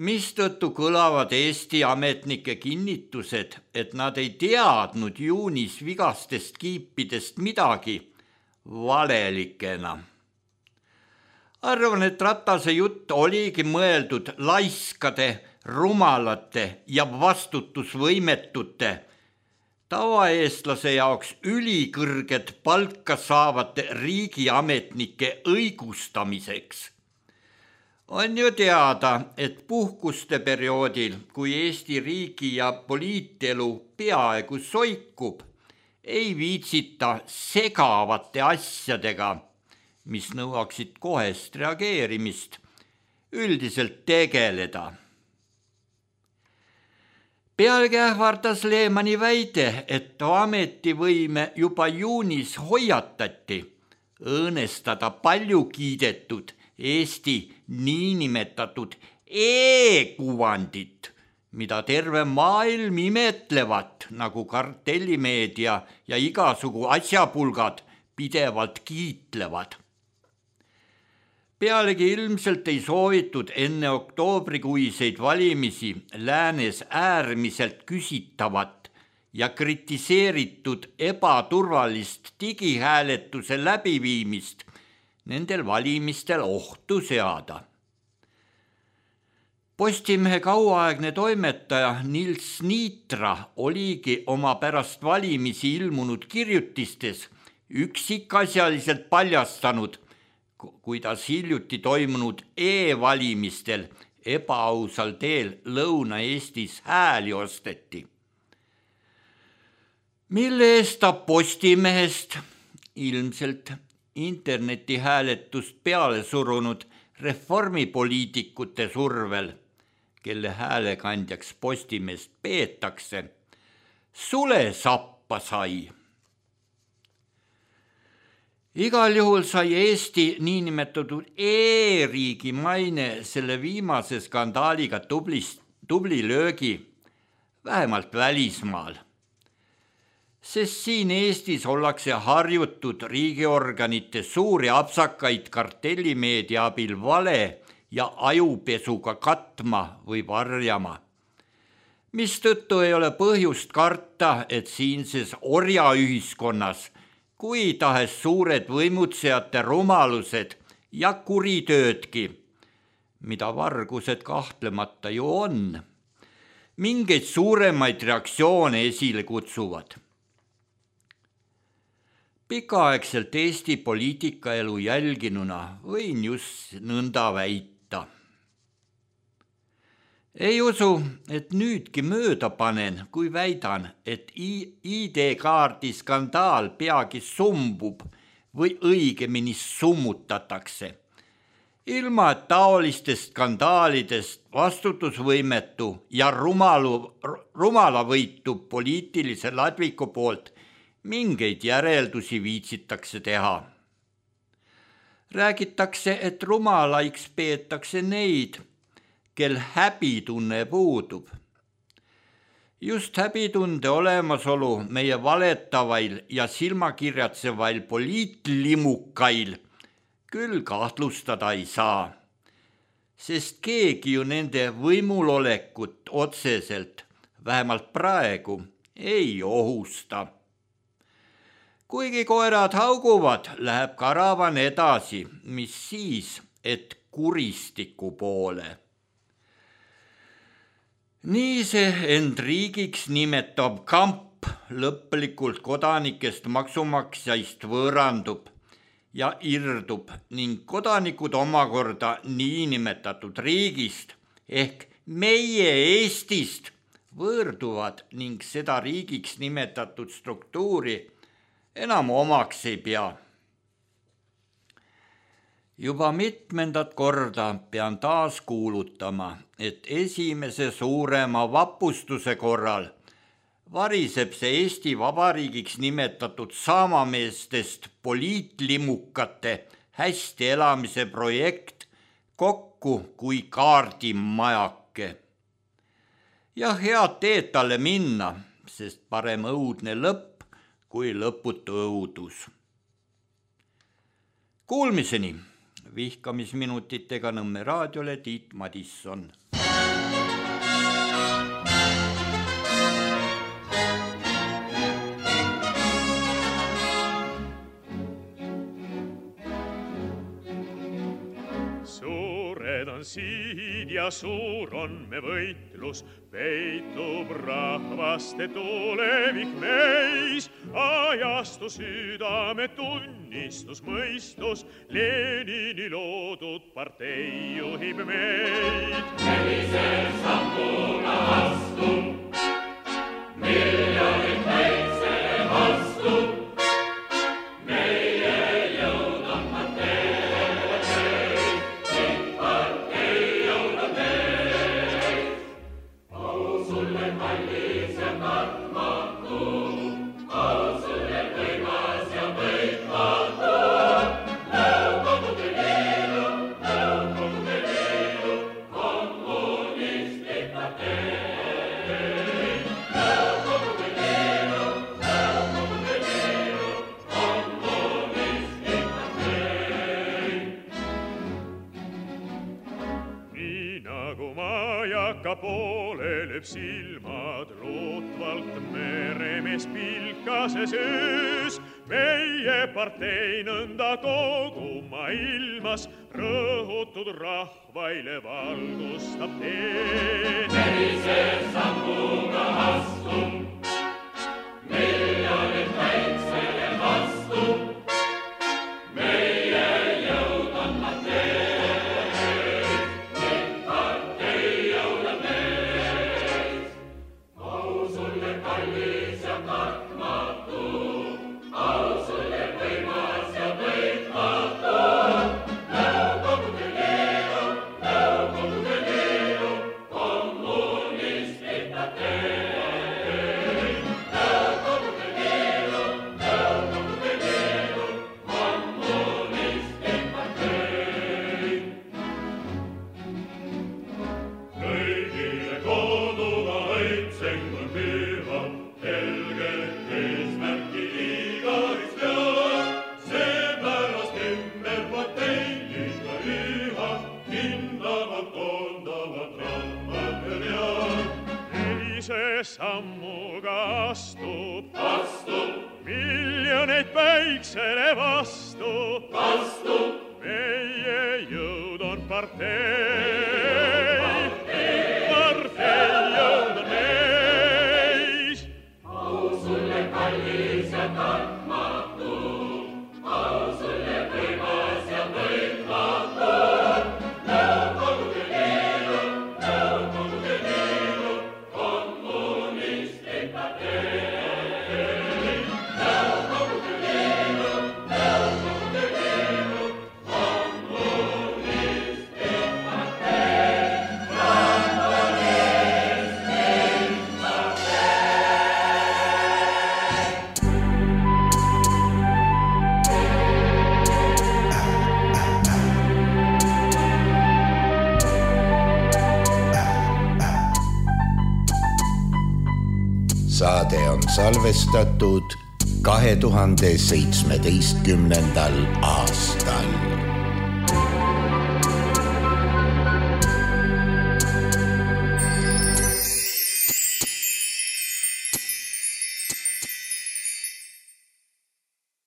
S4: mistõttu kõlavad Eesti ametnike kinnitused, et nad ei teadnud juunis vigastest kiipidest midagi, valelikena. Arvan, et Ratase jutt oligi mõeldud laiskade, rumalate ja vastutusvõimetute, tavaeestlase jaoks ülikõrget palka saavate riigiametnike õigustamiseks. On ju teada, et puhkuste perioodil, kui Eesti riigi ja poliitelu peaaegu soikub, ei viitsita segavate asjadega, mis nõuaksid kohest reageerimist, üldiselt tegeleda. Pealegi ähvardas Leemanni väide, et ametivõime juba juunis hoiatati õõnestada palju kiidetud Eesti niinimetatud e-kuvandit, mida terve maailm imetlevat, nagu kartellimeedia ja igasugu asjapulgad pidevalt kiitlevad. Pealegi ilmselt ei soovitud enne oktoobrikuiseid valimisi läänes äärmiselt küsitavat ja kritiseeritud ebaturvalist digihääletuse läbiviimist nendel valimistel ohtu seada. Postimehe kauaaegne toimetaja Nils Niitra oligi oma pärast valimisi ilmunud kirjutistes üksikasjaliselt paljastanud, kuidas hiljuti toimunud e-valimistel ebaausal teel Lõuna-Eestis hääli osteti. Mille eest ta Postimehest, ilmselt internetihääletust peale surunud reformipoliitikute survel, kelle häälekandjaks Postimeest peetakse, sule sappa sai. Igal juhul sai Eesti niinimetatud e-riigi maine selle viimase skandaaliga tubli, tubli löögi, vähemalt välismaal. Sest siin Eestis ollakse harjutud riigiorganite suuri apsakaid kartellimeedia abil vale ja ajupesuga katma või varjama. Mistõttu ei ole põhjust karta, et siinses orjaühiskonnas kui tahes suured võimutsejate rumalused ja kuritöödki, mida vargused kahtlemata ju on, mingeid suuremaid reaktsioone esile kutsuvad. Pikaaegselt Eesti poliitikaelu jälginuna võin just nõnda väita. Ei usu, et nüüdki mööda panen, kui väidan, et I D-kaardi skandaal peagi sumbub või õigemini summutatakse. Ilma et taolistest skandaalidest vastutusvõimetu ja rumalu, rumalavõitu poliitilise ladviku poolt mingeid järeldusi viitsitakse teha. Räägitakse, et rumalaiks peetakse neid, kel häbitunne puudub. Just häbitunde olemasolu meie valetavail ja silmakirjatsevail poliitlimukail küll kahtlustada ei saa, sest keegi ju nende võimulolekut otseselt, vähemalt praegu, ei ohusta. Kuigi koerad hauguvad, läheb karavan edasi, mis siis, et kuristiku poole. Nii see end riigiks nimetav kamp lõplikult kodanikest maksumaksjaist võõrandub ja irdub ning kodanikud omakorda niinimetatud riigist ehk meie Eestist võõrduvad ning seda riigiks nimetatud struktuuri enam omaks ei pea. Juba mitmendat korda pean taas kuulutama, et esimese suurema vapustuse korral variseb see Eesti Vabariigiks nimetatud samameestest poliitlimukate hästi elamise projekt kokku kui kaardimajake. Ja head teed talle minna, sest parem õudne lõpp kui lõputu õudus. Kuulmiseni! Vihkamisminutitega Nõmme raadiole Tiit Madisson.
S5: Suured on siid ja suur on me võitlus, peitub rahvaste tulevik meis, ajastu südame tunnistus mõistus, Lenini loodud partei juhib meid. Sellise sammuga astub, miljonid kaitsele vastub, meie jõud on partei, kõik partei jõud on meid. Au sulle kallis ja kartmatu, au sulle võimas ja võitmatu, Nõukogude Liidu, Nõukogude Liidu, kommunistlik partei. Nõukogude Liidu, Nõukogude Liidu, kommunistlik partei. Nii nagu majaka poole lööb silmad lootvalt meremees pilkases öös, meie partei nõnda kogu maailmas rõhutud rahvaile valgustab teed. Sellise sammuga astub, miljonid kaitsele vastub, meie jõud on partei, kõik partei jõud on meid. Au sulle kallis ja kartmatu, au sulle võimas ja võitmatu, Nõukogude Liidu, Nõukogude Liidu, kommunistlik partei. Nõukogude Liidu, Nõukogude Liidu, kommunistlik partei. Kõigile koduga õitseng on püha, helget eesmärki igaüks teab, seepärast ümber parteiga üha hindavad koondavad rahvad vead. Sellise sammuga astub, astub, miljoneid päiksele vastu, vastu, meie jõud on partei, partei jõud on meis. Au sulle kallis ja kartmatu, au sulle võimas ja võitmatu, Nõukogude Liidu, Nõukogude Liidu, kommunistlik partei. Nõukogude Liidu, Nõukogude Liidu, kommunistlik partei.
S3: Saade on salvestatud kahe tuhande seitsmeteistkümnendal aastal.